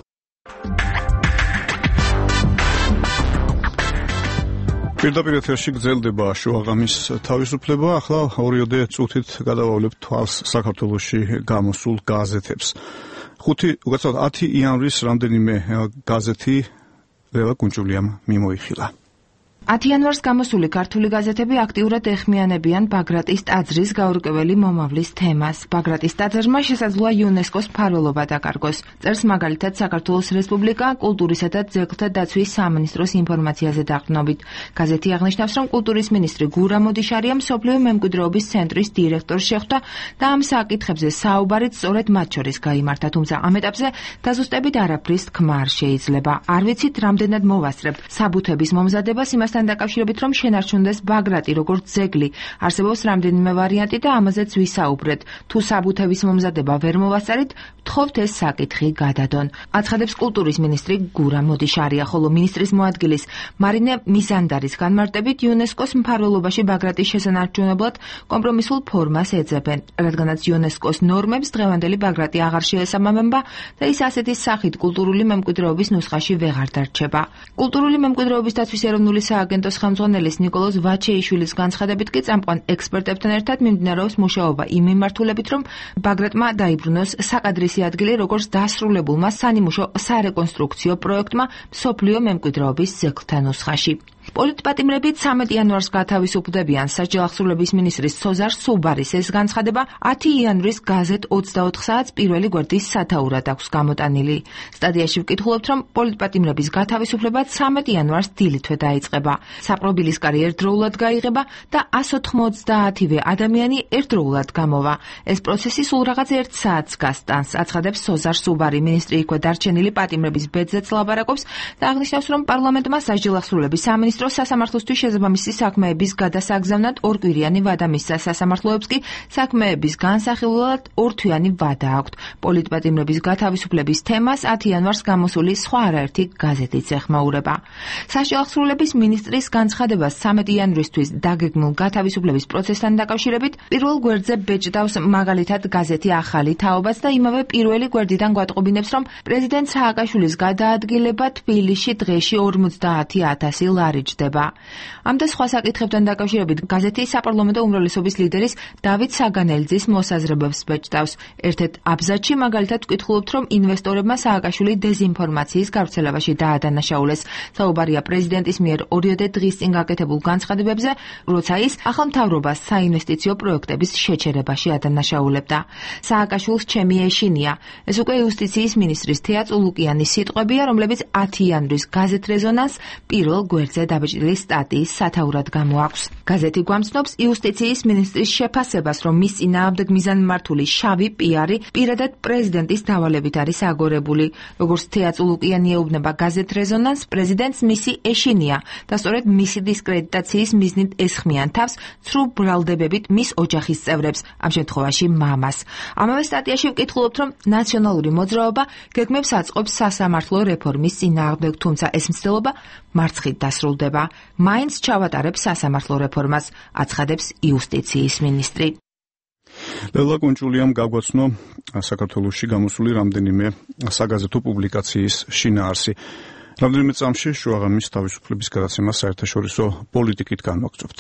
A: პირდაპირ ეთერში გრძელდება შუაღამის თავისუფლება. ახლა ორიოდე წუთით გადავავლებთ თვალს საქართველოში გამოსულ გაზეთებს. ხუთი, უკაცრავად ათი იანვრის რამდენიმე გაზეთი ლელა კუნჭულიამ მიმოიხილა.
F: ათი იანვარს გამოსული ქართული გაზეთები აქტიურად ეხმიანებიან ბაგრატის ტაძრის გაურკვეველი მომავლის თემას. ბაგრატის ტაძრმა შესაძლოა იუნესკოს მფარველობა დაკარგოს. წერს მაგალითად საქართველოს რესპუბლიკა კულტურისა და ძეგლთა დაცვის სამინისტროს ინფორმაციაზე დაყრდნობით. გაზეთი აღნიშნავს, რომ კულტურის მინისტრი გურამ მოდიშარია მსოფლიო მემკვიდრეობის ცენტრის დირექტორს შეხვდა და ამ საკითხებზე საუბარიც სწორედ მათ შორის გაიმართა, თუმცა ამ ეტაპზე დაზუსტებით არაფრის თქმა არ შეიძლება. არ ვიცით, რამდენად მოვასწრებ საბუთების მომზადებას იმას დაკავშირებით, რომ შენარჩუნდეს ბაგრატი როგორც ძეგლი. არსებობს რამდენიმე ვარიანტი და ამაზეც ვისაუბრეთ. თუ საბუთების მომზადება ვერ მოვასწარით, ვთხოვთ ეს საკითხი გადადონ. აცხადებს კულტურის მინისტრი გურამ მოდიშარია, ხოლო მინისტრის მოადგილის მარინე მიზანდარის განმარტებით იუნესკოს მფარველობაში ბაგრატის შესანარჩუნებლად კომპრომისულ ფორმას ეძებენ, რადგანაც იუნესკოს ნორმებს დღევანდელი ბაგრატი აღარ შეესაბამება და ის ასეთი სახით კულტურული მემკვიდრეობის ნუსხაში ვეღარ დარჩება. კულტურული მემკვიდრეობის დაცვის ეროვნული სააგენტოს ხელმძღვანელის ნიკოლოზ ვაჩეიშვილის განცხადებით კი წამყვან ექსპერტებთან ერთად მიმდინარეობს მუშაობა იმ მიმართულებით, რომ ბაგრატმა დაიბრუნოს საკადრისი ადგილი როგორც დასრულებულმა სანიმუშო სარეკონსტრუქციო პროექტმა მსოფლიო მემკვიდრეობის ძეგლთა ნუსხაში. პოლიტპატიმრები ცამეტ იანვარს გათავისუფლდებიან. სასჯელ ახსრულების მინისტრის სოზარ სუბარის ეს განცხადება ათი იანვრის გაზეთ ოცდაოთხ საათს პირველი გვერდის სათაურად აქვს გამოტანილი. სტატიაში ვკითხულობთ, რომ პოლიტპატიმრების გათავისუფლება ცამეტ იანვარს დილითვე დაიწყება. საპრობილისკარი ერთდროულად გაიღება და ასი ოცდაათივე ადამიანი ერთდროულად გამოვა. ეს პროცესი სულ რაღაც ერთ საათს გასტანს, აცხადებს სოზარ სუბარი. მინისტრი იქვე დარჩენილი პატიმრების ბედზეც ლაპარაკობს და აღნიშნავს, რომ პარლამენტმა სასჯელ ახსრულების სამინისტრო სასამართლოსთვის შესაბამისი საქმეების გადასაგზავნად ორკვირიანი ვადა მისცა. სასამართლოებს კი საქმეების განსახილველად ორთვიანი ვადა აქვთ. პოლიტპატიმრების გათავისუფლების თემას ათი იანვარს გამოსული სხვა არაერთი გაზეთიც ეხმაურება. სასჯელ ახსრულების მინისტრის განცხადებას ცამეტ იანვრისთვის დაგეგმულ გათავისუფლების პროცესთან დაკავშირებით პირველ გვერდზე ბეჭდავს მაგალითად გაზეთი ახალი თაობაც და იმავე პირველი გვერდიდან გვატყობინებს, რომ პრეზიდენტ სააკაშვილის გადაადგილება თბილისში დღეში ორმოცდაათი ათასი ლარი ჭდება. ამ და სხვა საკითხებთან დაკავშირებით გაზეთი საპარლამენტო უმრავლესობის ლიდერის დავით საგანელიძის მოსაზრებებს ბეჭდავს. ერთ-ერთ აბზაცში მაგალითად ვკითხულობთ, რომ ინვესტორებმა სააკაშვილი დეზინფორმაციის გავრცელებაში დაადანაშაულეს. საუბარია პრეზიდენტის მიერ ორიოდე დღის წინ გაკეთებულ განცხადებებზე, როცა ის ახალ მთავრობას საინვესტიციო პროექტების შეჩერებაში ადანაშაულებდა. სააკაშვილს ჩემი ეშინია. ეს უკვე იუსტიციის მინისტრის თეა წულუკიანის სიტყვებია, რომლებიც ათი იანვრის გაზეთ რეზონანს პირველ გვერდზე დაბეჭდილი სტატიის სათაურად გამოაქვს. გაზეთი გვამცნობს იუსტიციის მინისტრის შეფასებას, რომ მის წინააღმდეგ მიზანმიმართული შავი პიარი პირადად პრეზიდენტის დავალებით არის აგორებული. როგორც თეა წულუკიანი ეუბნება გაზეთ რეზონანს, პრეზიდენტს მისი ეშინია და სწორედ მისი დისკრედიტაციის მიზნით ესხმიან თავს ცრუ ბრალდებებით მის ოჯახის წევრებს, ამ შემთხვევაში მამას. ამავე სტატიაში ვკითხულობთ, რომ ნაციონალური მოძრაობა გეგმებს აწყობს სასამართლო რეფორმის წინააღმდეგ, თუმცა ეს მცდელობა მარცხით დასრულდება. მაინც ჩავატარებს სასამართლო რეფორმას, აცხადებს იუსტიციის მინისტრი.
A: ლელა კუნჭულიამ გაგვაცნო საქართველოში გამოსული რამდენიმე საგაზეთო პუბლიკაციის შინაარსი. რამდენიმე წამში შუაღამის თავისუფლების გადაცემას საერთაშორისო პოლიტიკით განვაგრძობთ.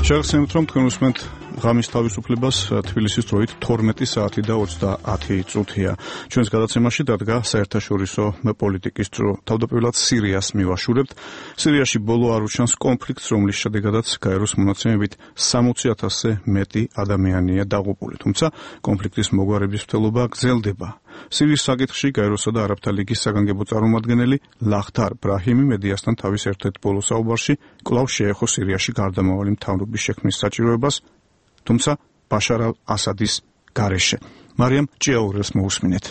A: შეგახსენებთ, რომ თქვენ უსმენთ ღამის თავისუფლებას თბილისის დროით თორმეტი საათი და ოცდაათი წუთია. ჩვენს გადაცემაში დადგა საერთაშორისო პოლიტიკის დრო. თავდაპირველად სირიას მივაშურებთ. სირიაში ბოლო არ უჩანს კონფლიქტს, რომლის შედეგადაც გაეროს მონაცემებით სამოცი ათასზე მეტი ადამიანია დაღუპული. თუმცა კონფლიქტის მოგვარების მცდელობა გრძელდება. სირიის საკითხში გაეროსა და არაბთა ლიგის საგანგებო წარმომადგენელი ლახთარ ბრაჰიმი მედიასთან თავის ერთ-ერთ ბოლო საუბარში კვლავ შეეხო სირიაში გარდამავალი მთავრობის შექმნის საჭიროებას, თუმცა ბაშარ ალ-ასადის გარეშე. მარიამ ჭიაურელს მოусმინეთ.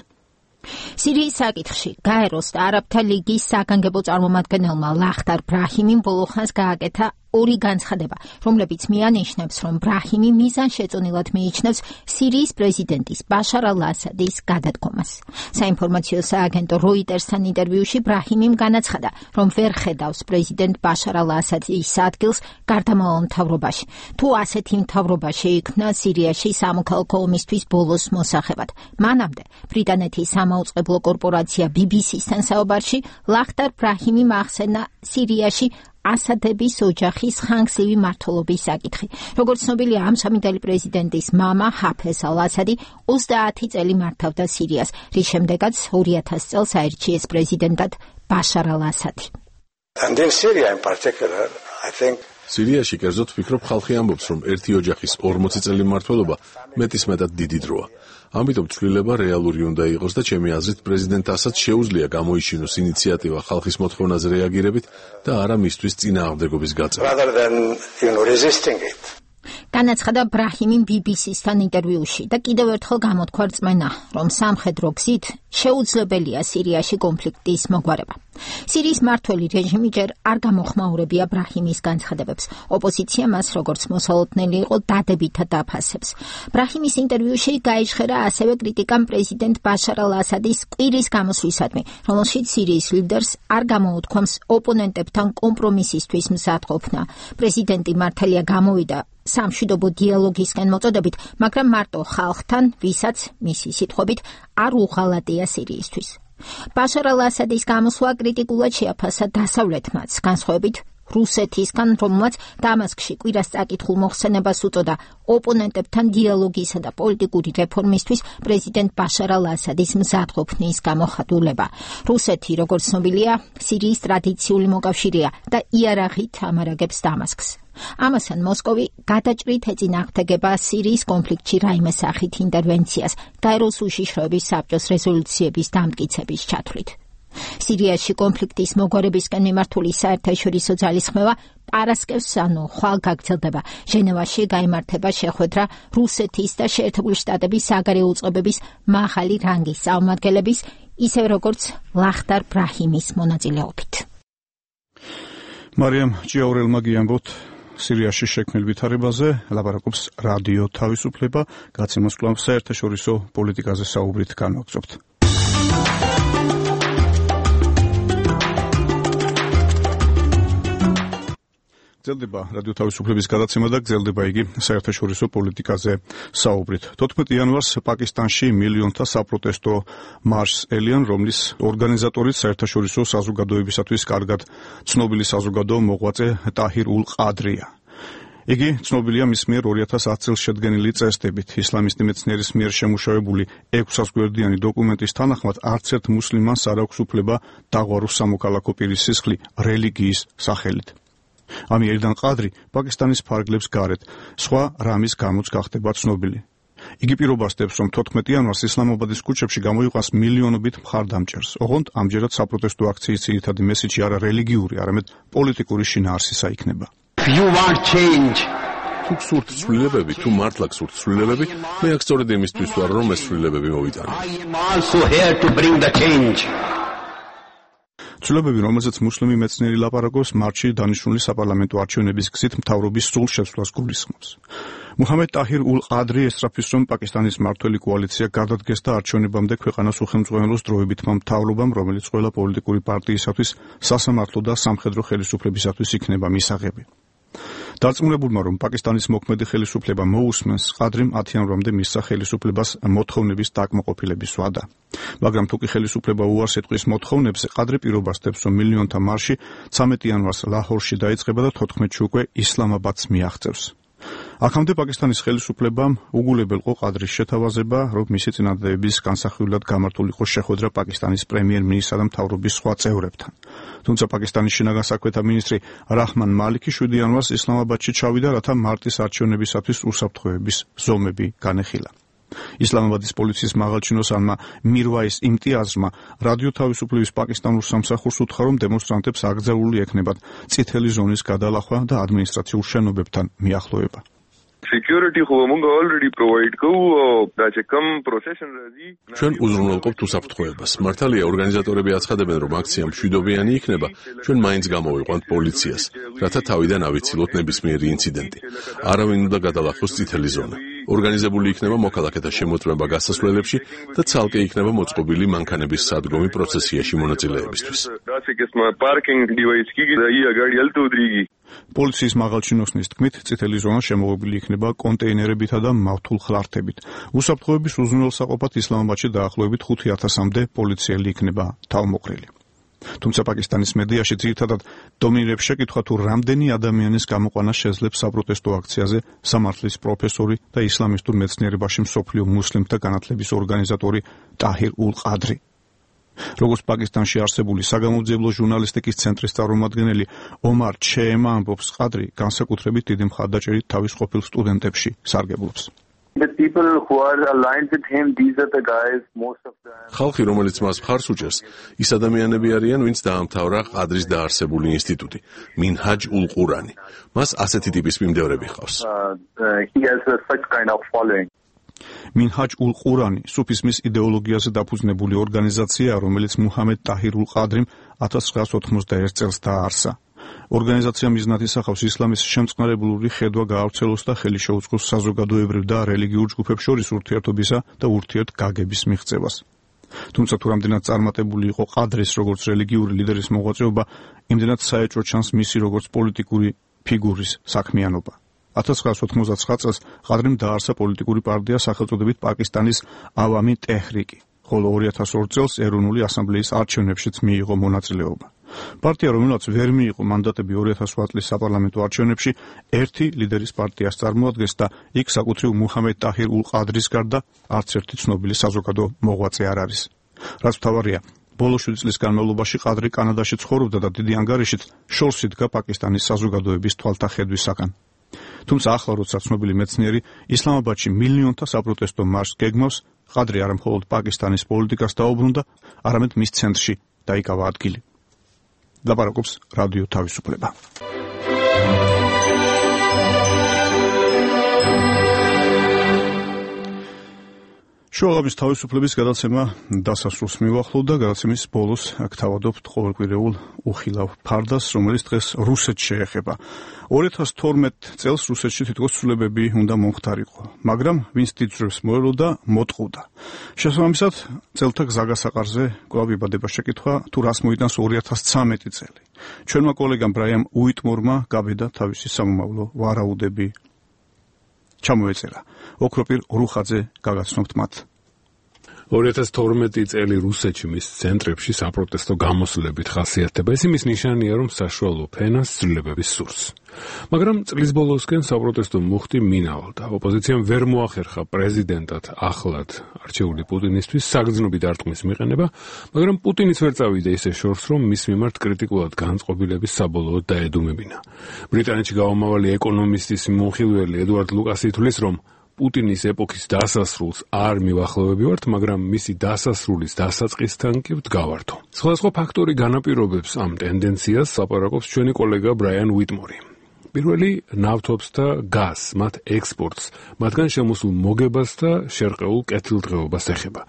D: სირიის საკითხში გაეროს და არაბთა ლიგის საგანგებო წარმომადგენელმა ლახთარ ბრაჰიმიმ ბოლო ხანს გააკეთა ორი განცხადება, რომლებიც მიანიშნებს, რომ ბრაჰიმი მიზანშეწონილად მიიჩნევს სირიის პრეზიდენტის ბაშარ ალ-ასადის გადადგომას. საინფორმაციო სააგენტო როიტერსთან ინტერვიუში ბრაჰიმიმ განაცხადა, რომ ვერ ხედავს პრეზიდენტ ბაშარ ალ-ასადის ადგილს გარდამავალ მთავრობაში. თუ ასეთი მთავრობა შეიქმნა სირიაში სამოქალაქო ომისთვის ბოლოს მოსახებად. მანამდე ბრიტანეთის სამაუწყებლო კორპორაცია ბი ბი სი-სთან საუბარში ლახთარ ბრაჰიმიმ ახსენა სირიაში ასადების ოჯახის ხანგრძლივი მმართველობის საკითხი. როგორც ცნობილია, ამ სამი პრეზიდენტის მამა ჰაფეზ ალ-ასადი ოცდაათი წელი მართავდა სირიას, რის შემდეგაც ორი ათასი წელს აირჩიეს პრეზიდენტად ბაშარ ალ-ასადი.
H: And in Syria in particular, I think
G: სირიაში კერძოდ ვფიქრობ, ხალხი ამბობს, რომ ერთი ოჯახის ორმოცი წელი მმართველობა მეტისმეტად დიდი დროა. ამიტომ ცვლილება რეალური უნდა იყოს და ჩემი აზრით პრეზიდენტ ასადს შეუძლია გამოიჩინოს ინიციატივა ხალხის მოთხოვნაზე რეაგირებით და არა მისთვის წინააღმდეგობის გაწევა.
H: rather than, you know, resisting it.
D: განაცხადა ბრაჰიმიმ ბი ბი სი-სთან ინტერვიუში და კიდევ ერთხელ გამოთქვა რწმენა, რომ სამხედრო გზით შეუძლებელია სირიაში კონფლიქტის მოგვარება. სირიის მმართველი რეჟიმი ჯერ არ გამოხმაურებია ბრაჰიმის განცხადებებს. ოპოზიცია მას როგორც მოსალოდნელი იყო დადებითად აფასებს. ბრაჰიმის ინტერვიუში გაიჟღერა ასევე კრიტიკამ პრეზიდენტ ბაშარ ალ-ასადის კვირის გამოსვლისადმი, რომელშიც სირიის ლიდერს არ გამოუთქვამს ოპონენტებთან კომპრომისისთვის მზადყოფნა. პრეზიდენტი მართალია გამოვიდა სამშვიდობო დიალოგისკენ მოწოდებით, მაგრამ მარტო ხალხთან, ვისაც მისი სიტყვებით არ უღალატია სირიისთვის. ბაშარ ალ-ასადის გამოსვლა კრიტიკულად შეაფასა დასავლეთმაც, განსხვავებით რუსეთისგან, რომელმაც დამასკში კვირას წაკითხულ მოხსენებას უწოდა ოპონენტებთან დიალოგისა და პოლიტიკური რეფორმისთვის პრეზიდენტ ბაშარ ალ-ასადის მზადყოფნის გამოხატულება. რუსეთი, როგორც ცნობილია, სირიის ტრადიციული მოკავშირეა და იარაღით ამარაგებს დამასკს. ამასთან მოსკოვი გადაჭრით ეწინააღმდეგება სირიის კონფლიქტში რაიმე სახით ინტერვენციას გაეროს უშიშროების საბჭოს რეზოლუციების დამტკიცების ჩათვლით. სირიაში კონფლიქტის მოგვარებისკენ მიმართული საერთაშორისო ძალისხმევა პარასკევს ანუ ხვალ გაგრძელდება. ჟენევაში გაიმართება შეხვედრა რუსეთის და შეერთებული შტატების საგარეო უწყებების მაღალი რანგის წარმომადგენლების, ისევე როგორც ლახთარ ბრაჰიმის მონაწილეობით.
A: მარიამ ჭიაურელმა გიამბოთ სირიაში შექმნილ ვითარებაზე, ლაპარაკობს რადიო თავისუფლება, გაცემას კვლავ საერთაშორისო პოლიტიკაზე საუბრით განვაგრძობთ. გრძელდება რადიო თავისუფლების გადაცემა და გრძელდება იგი საერთაშორისო პოლიტიკაზე საუბრით. თოთხმეტი იანვარს პაკისტანში მილიონთა საპროტესტო მარშს ელიან, რომლის ორგანიზატორიც საერთაშორისო საზოგადოებისათვის კარგად ცნობილი საზოგადო მოღვაწე ტაჰირ ულ-ყადრია. იგი ცნობილია მის მიერ ორი ათას ათი წელს შედგენილი წესდებით. ისლამისტი მეცნიერის მიერ შემუშავებული ექვსასგვერდიანი დოკუმენტის თანახმად არც ერთ მუსლიმანს არ აქვს უფლება დაღვაროს სამოქალაქო პირის სისხლი რელიგიის სახელით. ამიერიდან ყადრი პაკისტანის ფარგლებს გარეთ სხვა რამის გამოც გახდება ცნობილი. იგი პირობასდებს, რომ თოთხმეტი იანვარს ისლამაბადის ქუჩებში გამოიყვანს მილიონობით მხარდამჭერს. ოღონდ ამჯერად საპროტესტო აქციის ძირითადი მესიჯი არა რელიგიური, არამედ პოლიტიკური შინაარსისა იქნება.
G: You want change. თუ გსურთ ცვლილებები, თუ მართლა გსურთ ცვლილებები, მე აქ სწორედ იმისთვის ვარ, რომ ეს ცვლილებები მოვიტანო.
H: I am also here to bring the change.
A: ცვლილებები, რომელზეც მუსლიმი მეცნიერი ლაპარაკობს, მარჩი დანიშნული საპარლამენტო არჩევნების გზით მთავრობის სრულ შეცვლას გულისხმობს. მუჰამედ ტაჰირ ულ-ყადრი ესწრაფის, რომ პაკისტანის მმართველი კოალიცია გადადგეს და არჩევნებამდე ქვეყანას უხელმძღვანელოს დროებითმა მთავრობამ, რომელიც ყველა პოლიტიკური პარტიისათვის სასამართლო და სამხედრო ხელისუფლებისათვის იქნება მისაღები. დარწმუნებულმა, რომ პაკისტანის მოქმედი ხელისუფლება მოусმენს, ყადრიმ ათი იანვრამდე მისცა ხელისუფლებას მოთხოვნების დაკმაყოფილების ვადა. მაგრამ თუ კი ხელისუფლება უარს ეტყვის მოთხოვნებზე, ყადრი პირობასდებს, რომ მილიონთა მარში ცამეტი იანვარს ლაჰორში დაიწყება და თოთხმეტში უკვე ისლამაბადს მიაღწევს. აქამდე პაკისტანის ხელისუფლებამ უგულებელყო ყადრის შეთავაზება, რომ მისი წინადადების განსახილვად გამართულიყო შეხვედრა პაკისტანის პრემიერ-მინისტრსა და მთავრობის სხვა წევრებთან. თუმცა პაკისტანის შინაგან საქმეთა მინისტრი რაჰმან მალიკი შვიდი იანვარს ისლამაბადში ჩავიდა, რათა მარტის არჩევნებისათვის უსაფრთხოების ზომები განეხილა. ისლამაბადის პოლიციის მაღალჩინოსანმა მირვაის იმტიაზმა რადიო თავისუფლების პაკისტანურ სამსახურს უთხრა, რომ დემონსტრანტებს აკრძალული ექნებათ წითელი ზონის გადალახვა და ადმინისტრაციულ შენობებთან მიახლოება.
C: Security ხო მოგ already provide კო და ჩეკამ procession რაზი
G: ჩვენ უზრუნველყოფთ უსაფრთხოებას. მართალია ორგანიზატორები აცხადებენ, რომ აქცია მშვიდობიანი იქნება, ჩვენ მაინც გამოვიყვანთ პოლიციას, რათა თავიდან ავიცილოთ ნებისმიერი ინციდენტი. არავინ უნდა გადალახოს წითელი ზონა. ორგანიზებული იქნება მოქალაქეთა შემოწმება გასასვლელებში და ცალკე იქნება მოწყობილი მანქანების სადგომი პროცესიაში მონაწილეებისთვის. პოლიციის მაღალჩინოსნის თქმით, წითელი ზონა შემოღობილი იქნება კონტეინერებითა და მავთულ ხლართებით. უსაფრთხოების უზრუნველსაყოფად ისლამაბადში დაახლოებით ხუთი ათასამდე პოლიციელი იქნება თავმოყრილი. თუმცა პაკისტანის მედიაში ძირითადად დომინირებს შეკითხვა, თუ რამდენი ადამიანის გამოყვანა შეძლებს საპროტესტო აქციაზე სამართლის პროფესორი და ისლამისტურ მეცნიერებაში მსოფლიო მუსლიმთა განათლების ორგანიზატორი ტაჰირ ულ-ყადრი. როგორც პაკისტანში არსებული საგამოძიებლო ჟურნალისტიკის ცენტრის წარმომადგენელი ომარ ჩეემა ამბობს, ყადრი განსაკუთრებით დიდი მხარდაჭერით თავის ყოფილ სტუდენტებში სარგებლობს.
C: The people who are aligned with him, these are the guys, most of them.
G: ხალხი, რომელიც მას მხარს უჭერს, ის ადამიანები არიან, ვინც დაამთავრა ყადრის დაარსებული ინსტიტუტი, მინჰაჯ ულ-ყურანი. მას ასეთი ტიპის მიმდევრები ჰყავს.
C: He has such kind of following.
A: მინჰაჯ ულ-ყურანი სუფიზმის იდეოლოგიაზე დაფუძნებული ორგანიზაციაა, რომელიც მუჰამედ ტაჰირ ულ-ყადრიმ ათას ცხრაას ოთხმოცდაერთ წელს დააარსა. ორგანიზაცია მიზნად ისახავს ისლამის შემწყნარებლური ხედვა გაავრცელოს და ხელი შეუწყოს საზოგადოებრივ და რელიგიურ ჯგუფებს შორის ურთიერთობისა და ურთიერთგაგების მიღწევას. თუმცა თუ რამდენად წარმატებული იყო ყადრის როგორც რელიგიური ლიდერის მოღვაწეობა, იმდენად საეჭვო ჩანს მისი როგორც პოლიტიკური ფიგურის საქმიანობა. ათას ცხრაას ოთხმოცდაცხრა წელს ყადრიმ დაარსა პოლიტიკური პარტია სახელწოდებით პაკისტანის ავამი ტეჰრიკი, ხოლო ორი ათას ორ წელს ეროვნული ასამბლეის არჩევნებშიც მიიღო მონაწილეობა. პარტია, რომელსაც ვერ მიიღო მანდატები ორი ათას ოთხ წლის საპარლამენტო არჩევნებში, ერთი ლიდერის პარტიას წარმოადგენს და იქ საკუთრივ მუჰამედ ტაჰირ ულ-ყადრის გარდა არც ერთი ცნობილი საზოგადო მოღვაწე არ არის. რაც მთავარია, ბოლო შვიდი წლის განმავლობაში ყადრი კანადაში ცხოვრობდა და დიდი ანგარიშით შორს იდგა პაკისტანის საზოგადოების თვალთახედვისაგან. თუმცა ახლა, როცა ცნობილი მეცნიერი ისლამაბადში მილიონთა საპროტესტო მარშს გეგმავს, ყადრი არა მხოლოდ პაკისტანის პოლიტიკას დაუბრუნდა, არამედ მის ცენტრში დაიკავა ადგილი. ლაპარაკობს რადიო თავისუფლება. შუაღამის თავისუფლების გადაცემა დასასრულს მივახლოვდა. გადაცემის ბოლოს გთავადობთ ყოველკვირეულ უხილავ ფარდას, რომელიც დღეს რუსეთს შეეხება. ორი ათას თორმეტ წელს რუსეთში თითქოს ცვლილებები უნდა მომხდარიყო, მაგრამ ვინც დიდძვრებს მოელოდა, მოტყუდა. შესაბამისად, წელთა გზაგასაყარზე კვლავ იბადება შეკითხვა, თუ რას მოიტანს ორი ათას ცხრამეტი წელი. ჩვენმა კოლეგამ ბრაიან უიტმორმა გაბედა თავისი სამომავლო ვარაუდები ჩამოეწერა. ოქროპირ რუხაძე გაგაცნობთ მათ.
I: ორი ათას თორმეტი წელი რუსეთში მის ცენტრებში საპროტესტო გამოსვლებით ხასიათდება. ეს იმის ნიშანია, რომ საშუალო ფენას ცვლილებების სურს. მაგრამ წლის ბოლოსკენ საპროტესტო მუხტი მინავალდა. ოპოზიციამ ვერ მოახერხა პრეზიდენტად ახლად არჩეული პუტინისთვის საგრძნობი დარტყმის მიყენება, მაგრამ პუტინიც ვერ წავიდა ისე შორს, რომ მის მიმართ კრიტიკულად განწყობილების საბოლოოდ დაედუმებინა. ბრიტანეთში გაომავალი ეკონომისტის მომხილველი ედუარდ ლუკასი თვლის, რომ პუტინის ეპოქის დასასრულს არ მივახლოვებივართ, მაგრამ მისი დასასრულის დასაწყისთან კი ვდგავართო. სხვადასხვა ფაქტორი განაპირობებს ამ ტენდენციას, ლაპარაკობს ჩვენი კოლეგა ბრაიან უიტმორი. პირველი ნავთობს და გაზს, მათ ექსპორტს, მათგან შემოსულ მოგებას და შერყეულ კეთილდღეობას ეხება.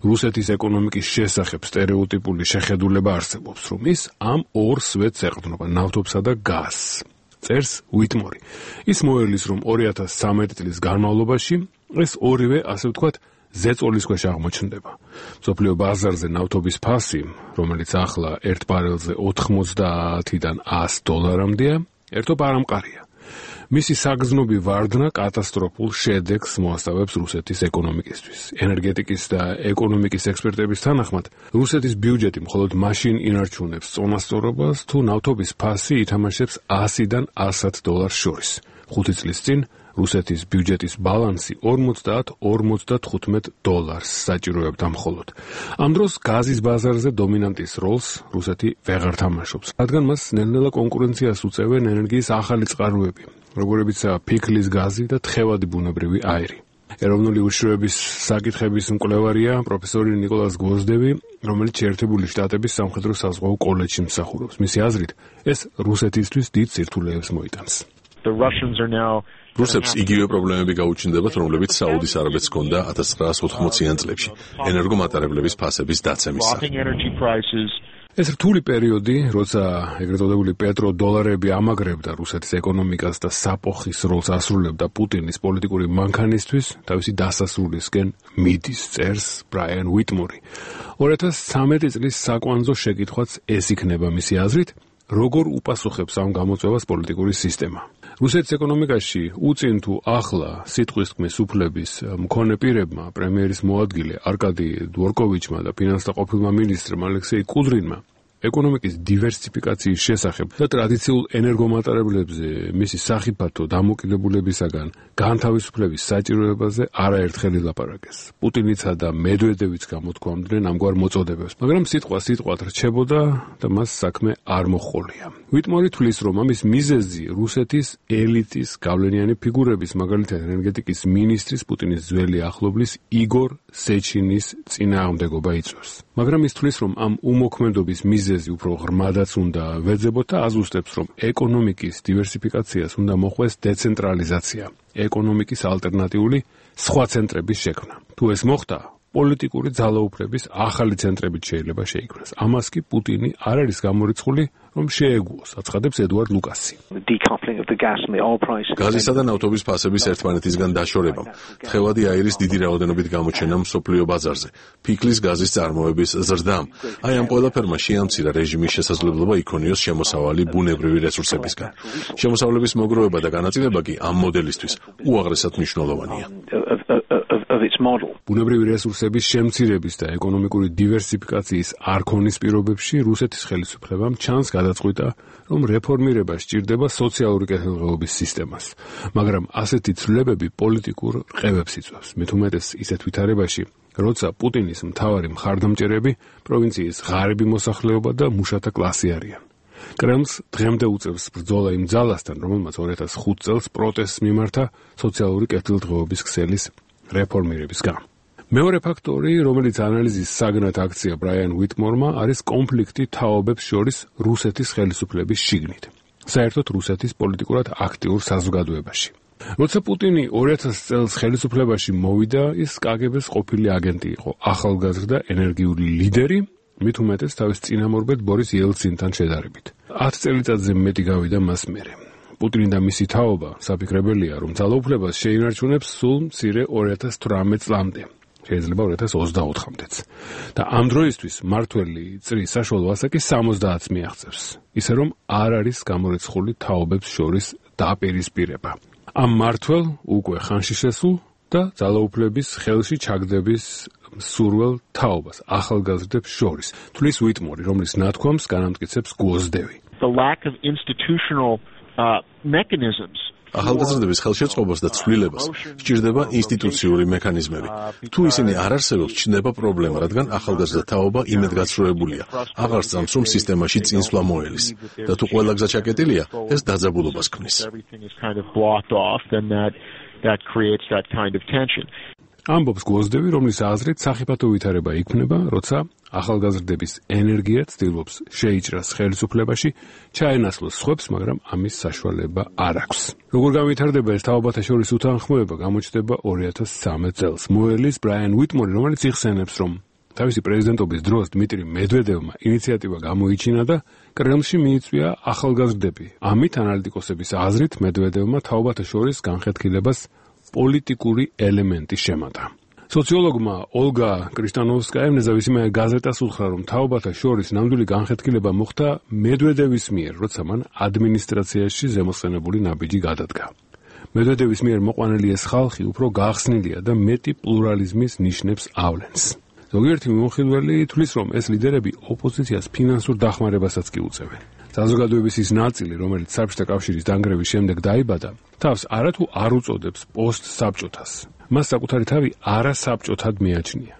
I: რუსეთის ეკონომიკის შესახებ სტერეოტიპული შეხედულება არსებობს, რომ ის ამ ორ სვეტს ეყრდნობა, ნავთობსა და გაზს. წერს უიტმორი. ის მოერლის, რომ ორი ათას ცხრამეტი წლის განმავლობაში ეს ორივე, ასე ვთქვათ, ზეწოლის ქვეშ აღმოჩნდება. მსოფლიო ბაზარზე ნავთობის ფასი, რომელიც ახლა ერთ ბარელზე ოთხმოცდაათიდან ას დოლარამდეა, ერთობ არ ამყარია. მისი საგრძნობი ვარდნა კატასტროფულ შედეგს მოასწავებს რუსეთის ეკონომიკისთვის. ენერგეტიკის და ეკონომიკის ექსპერტების თანახმად, რუსეთის ბიუჯეტი მხოლოდ მაშინ ინარჩუნებს წონასწორობას, თუ ნავთობის ფასი ითამაშებს ასიდან ასად დოლარს შორის. ხუთი წლის წინ რუსეთის ბიუჯეტის ბალანსი ორმოცდაათ ორმოცდათხუთმეტ დოლარს საჭიროებდა მხოლოდ. ამ დროს გაზის ბაზარზე დომინანტის როლს რუსეთი ვეღარ თამაშობს, რადგან მას ნელ-ნელა კონკურენციას უწევენ ენერგიის ახალი წყაროები, როგორებიცაა ფიქლის გაზი და თხევადი ბუნებრივი აირი. ეროვნული უშუალობის საკითხების მკვლევარია პროფესორი ნიკოლას გვოზდევი, რომელიც შეერთებული შტატების სამხედრო საზღვაო კოლეჯში მსახურობს. მისი აზრით, ეს რუსეთისთვის დიდ სირთულეებს მოიტანს.
G: რუსებს იგივე პრობლემები გაუჩნდებათ, რომლებიც საუდის არაბეთს ჰქონდა ათას ცხრაასი ოთხმოციან წლებში, ენერგომატარებლების ფასების დაცემის სახით.
I: ეს რთული პერიოდი, როცა ეგრეთ წოდებული პეტროდოლარები ამაგრებდა რუსეთის ეკონომიკას და საფოხის როლს ასრულებდა პუტინის პოლიტიკური მანქანისთვის, თავისი დასასრულისკენ მიდის, წერს ბრაიან უიტმორი. ორი ათას ცხრამეტი წლის საკვანძო შეკითხვაც ეს იქნება მისი აზრით, როგორ უპასუხებს ამ გამოწვევას პოლიტიკური სისტემა. რუსეთის ეკონომიკაში უწინ თუ ახლა სიტყვის თქმის უფლების მქონე პირებმა, პრემიერის მოადგილე არკადი დვორკოვიჩმა და ფინანსთა ყოფილმა მინისტრმა ალექსეი კუდრინმა ეკონომიკის დივერსიფიკაციის შესახებ და ტრადიციულ ენერგომატარებლებზე მისი სახიფათო დამოკიდებულებისაგან განთავისუფლების საჭიროებაზე არაერთხელ ილაპარაკეს. პუტინიცა და მედვედევიც გამოთქვამდნენ ამგვარ მოწოდებებს, მაგრამ სიტყვა სიტყვად რჩებოდა და მას საქმე არ მოჰყოლია. უიტმორი თვლის, რომ ამის მიზეზი რუსეთის ელიტის გავლენიანი ფიგურების, მაგალითად ენერგეტიკის მინისტრის პუტინის ძველი ახლობლის იგორ სეჩინის წინააღმდეგობა იწვევს. მაგრამ ის თვლის, რომ ამ უმოქმედობის მიზეზი უფრო ღრმადაც უნდა ვეძებოთ და აზუსტებს, რომ ეკონომიკის დივერსიფიკაციას უნდა მოხვდეს დეცენტრალიზაცია, ეკონომიკის ალტერნატიული სხვა ცენტრების შექმნა. თუ ეს მოხდა, პოლიტიკური ძალაუფლების ახალი ცენტრებით შეიძლება შეიქმნას. ამას კი პუტინი არ არის გამორიცხული, რომ შეეგუოს, აცხადებს ედუარდ ლუკასი.
G: გაზისა და ნავთობის ფასების ერთმანეთისგან დაშორებამ, თხევადი აირის დიდი რაოდენობით გამოჩენამ მსოფლიო ბაზარზე, ფიქლის გაზის წარმოების ზრდამ, აი ამ ყველაფერმა შეამცირა რეჟიმის შესაძლებლობა იქონიოს შემოსავალი ბუნებრივი რესურსებისგან. შემოსავლების მოგროვება და განაწილება კი ამ მოდელისთვის უაღრესად მნიშვნელოვანია.
I: ბუნებრივი რესურსების შემცირების და ეკონომიკური დივერსიფიკაციის არქონის პირობებში რუსეთის ხელისუფლებამ ჩანს გადაწყვიტა, რომ რეფორმირება სჭირდება სოციალური კეთილდღეობის სისტემას, მაგრამ ასეთი ცვლილებები პოლიტიკურ რყევებს იწვევს, მით უმეტეს ისეთ ვითარებაში, როცა პუტინის მთავარი მხარდამჭერები პროვინციის ღარიბი მოსახლეობა და მუშათა კლასი არიან. კრემლს დღემდე უწევს ბრძოლა იმ ძალასთან, რომელმაც ორი ათას ხუთი წელს პროტესტს მიმართა სოციალური კეთილდღეობის ქსელის რეფორმირების გამო. მეორე ფაქტორი, რომელიც ანალიზის საგნად აქცია ბრაიან უიტმორმა, არის კონფლიქტი თაობებს შორის რუსეთის ხელისუფლების შიგნით, საერთოდ რუსეთის პოლიტიკურად აქტიურ საზოგადოებაში. როცა პუტინი ორი ათას წელს ხელისუფლებაში მოვიდა, ის კაგებეს ყოფილი აგენტი იყო, ახალგაზრდა ენერგიული ლიდერი, მით უმეტეს თავის წინამორბედ ბორის იელცინთან შედარებით. ათ წელიწადზე მეტი გავიდა მას მერე. პუტინი და მისი თაობა საფიქრებელია, რომ ძალაუფლებას შეინარჩუნებს სულ მცირე ორი ათას თვრამეტ წლამდე, შეიძლება ორი ათას ოცდაოთხამდეც. და ამ დროისთვის მართველი წრის საშუალო ასაკი სამოცდაათს მიაღწევს, ისე რომ არ არის გამორიცხული თაობებს შორის დაპირისპირება. ამ მმართველ უკვე ხანში შესულ და ძალაუფლების ხელში ჩაგდების მსურველ თაობას ახალგაზრდებს შორის, თვლის უიტმორი, რომლის ნათქვამს განამტკიცებს გვოზდევი.
J: The lack of institutional uh, mechanisms
G: ახალგაზრდების ხელშეწყობას და ცვლილებას სჭირდება ინსტიტუციური მექანიზმები. თუ ისინი არ არსებობს, ჩნდება პრობლემა, რადგან ახალგაზრდა თაობა იმედგაცრუებულია, აღარ სწამს, რომ სისტემაში წინსვლა მოელის. და თუ ყველა გზა ჩაკეტილია, ეს დაძაბულობას ქმნის.
I: ამბობს გვოზდევი, რომლის აზრით სახიფათო ვითარება იქმნება, როცა ახალგაზრდების ენერგია ცდილობს შეიჭრას ხელისუფლებაში, ჩაენაცვლოს სხვებს, მაგრამ ამის საშუალება არ აქვს. როგორ განვითარდება ეს თაობათა შორის უთანხმოება, გამოჩნდება ორი ათას ცხრამეტ წელს. მოელის ბრაიან უიტმორი, რომელიც იხსენებს, რომ თავისი პრეზიდენტობის დროს დმიტრი მედვედევმა ინიციატივა გამოიჩინა და კრემლში მიიწვია ახალგაზრდები. ამით ანალიტიკოსების აზრით მედვედევმა თაობათა შორის განხეთქილებას პოლიტიკური ელემენტი შემატა. სოციოლოგმა ოლგა კრისტანოვსკაიამ ნეზავისიმая გაზეტას უთხრა, რომ თაობათა შორის ნამდვილი განხეთქილება მოხდა მედვედევის მიერ, როცა მან ადმინისტრაციაში ზემოსხენებული ნაბიჯი გადადგა. მედვედევის მიერ მოყვანილი ეს ხალხი უფრო გახსნილია და მეტი პლურალიზმის ნიშნებს ავლენს. ზოგიერთი მიმოხილველი თვლის, რომ ეს ლიდერები ოპოზიციას ფინანსურ დახმარებასაც კი უწევენ. საზოგადოების ის ნაწილი, რომელიც საბჭოთა კავშირის დანგრევის შემდეგ დაიბადა, თავს არათუ არ უწოდებს პოსტ-საბჭოთას. მას საკუთარი თავი არასაბჭოთად მიაჩნია.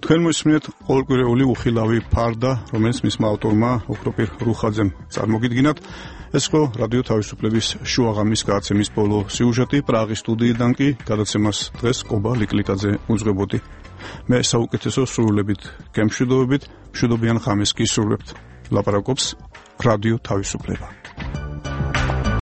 I: თქვენ მოსმენთ ყოველკვირეული უხილავი ფარდა, რომელიც მისმა ავტორმა ოქროპირ რუხაძემ წარმოგიდგინათ. ეს ხო რადიო თავისუფლების შუაღამის გადაცემის ბოლო სიუჟეტი პრაღის სტუდიიდან კი გადაცემას დღეს კობა ლიკლიკაძე უძღვებოდი. მე საუკეთესო სრულებით გემშვიდობებით, მშვიდობიან ხამეს გისურვებთ. ლაპარაკობს რადიო თავისუფლება.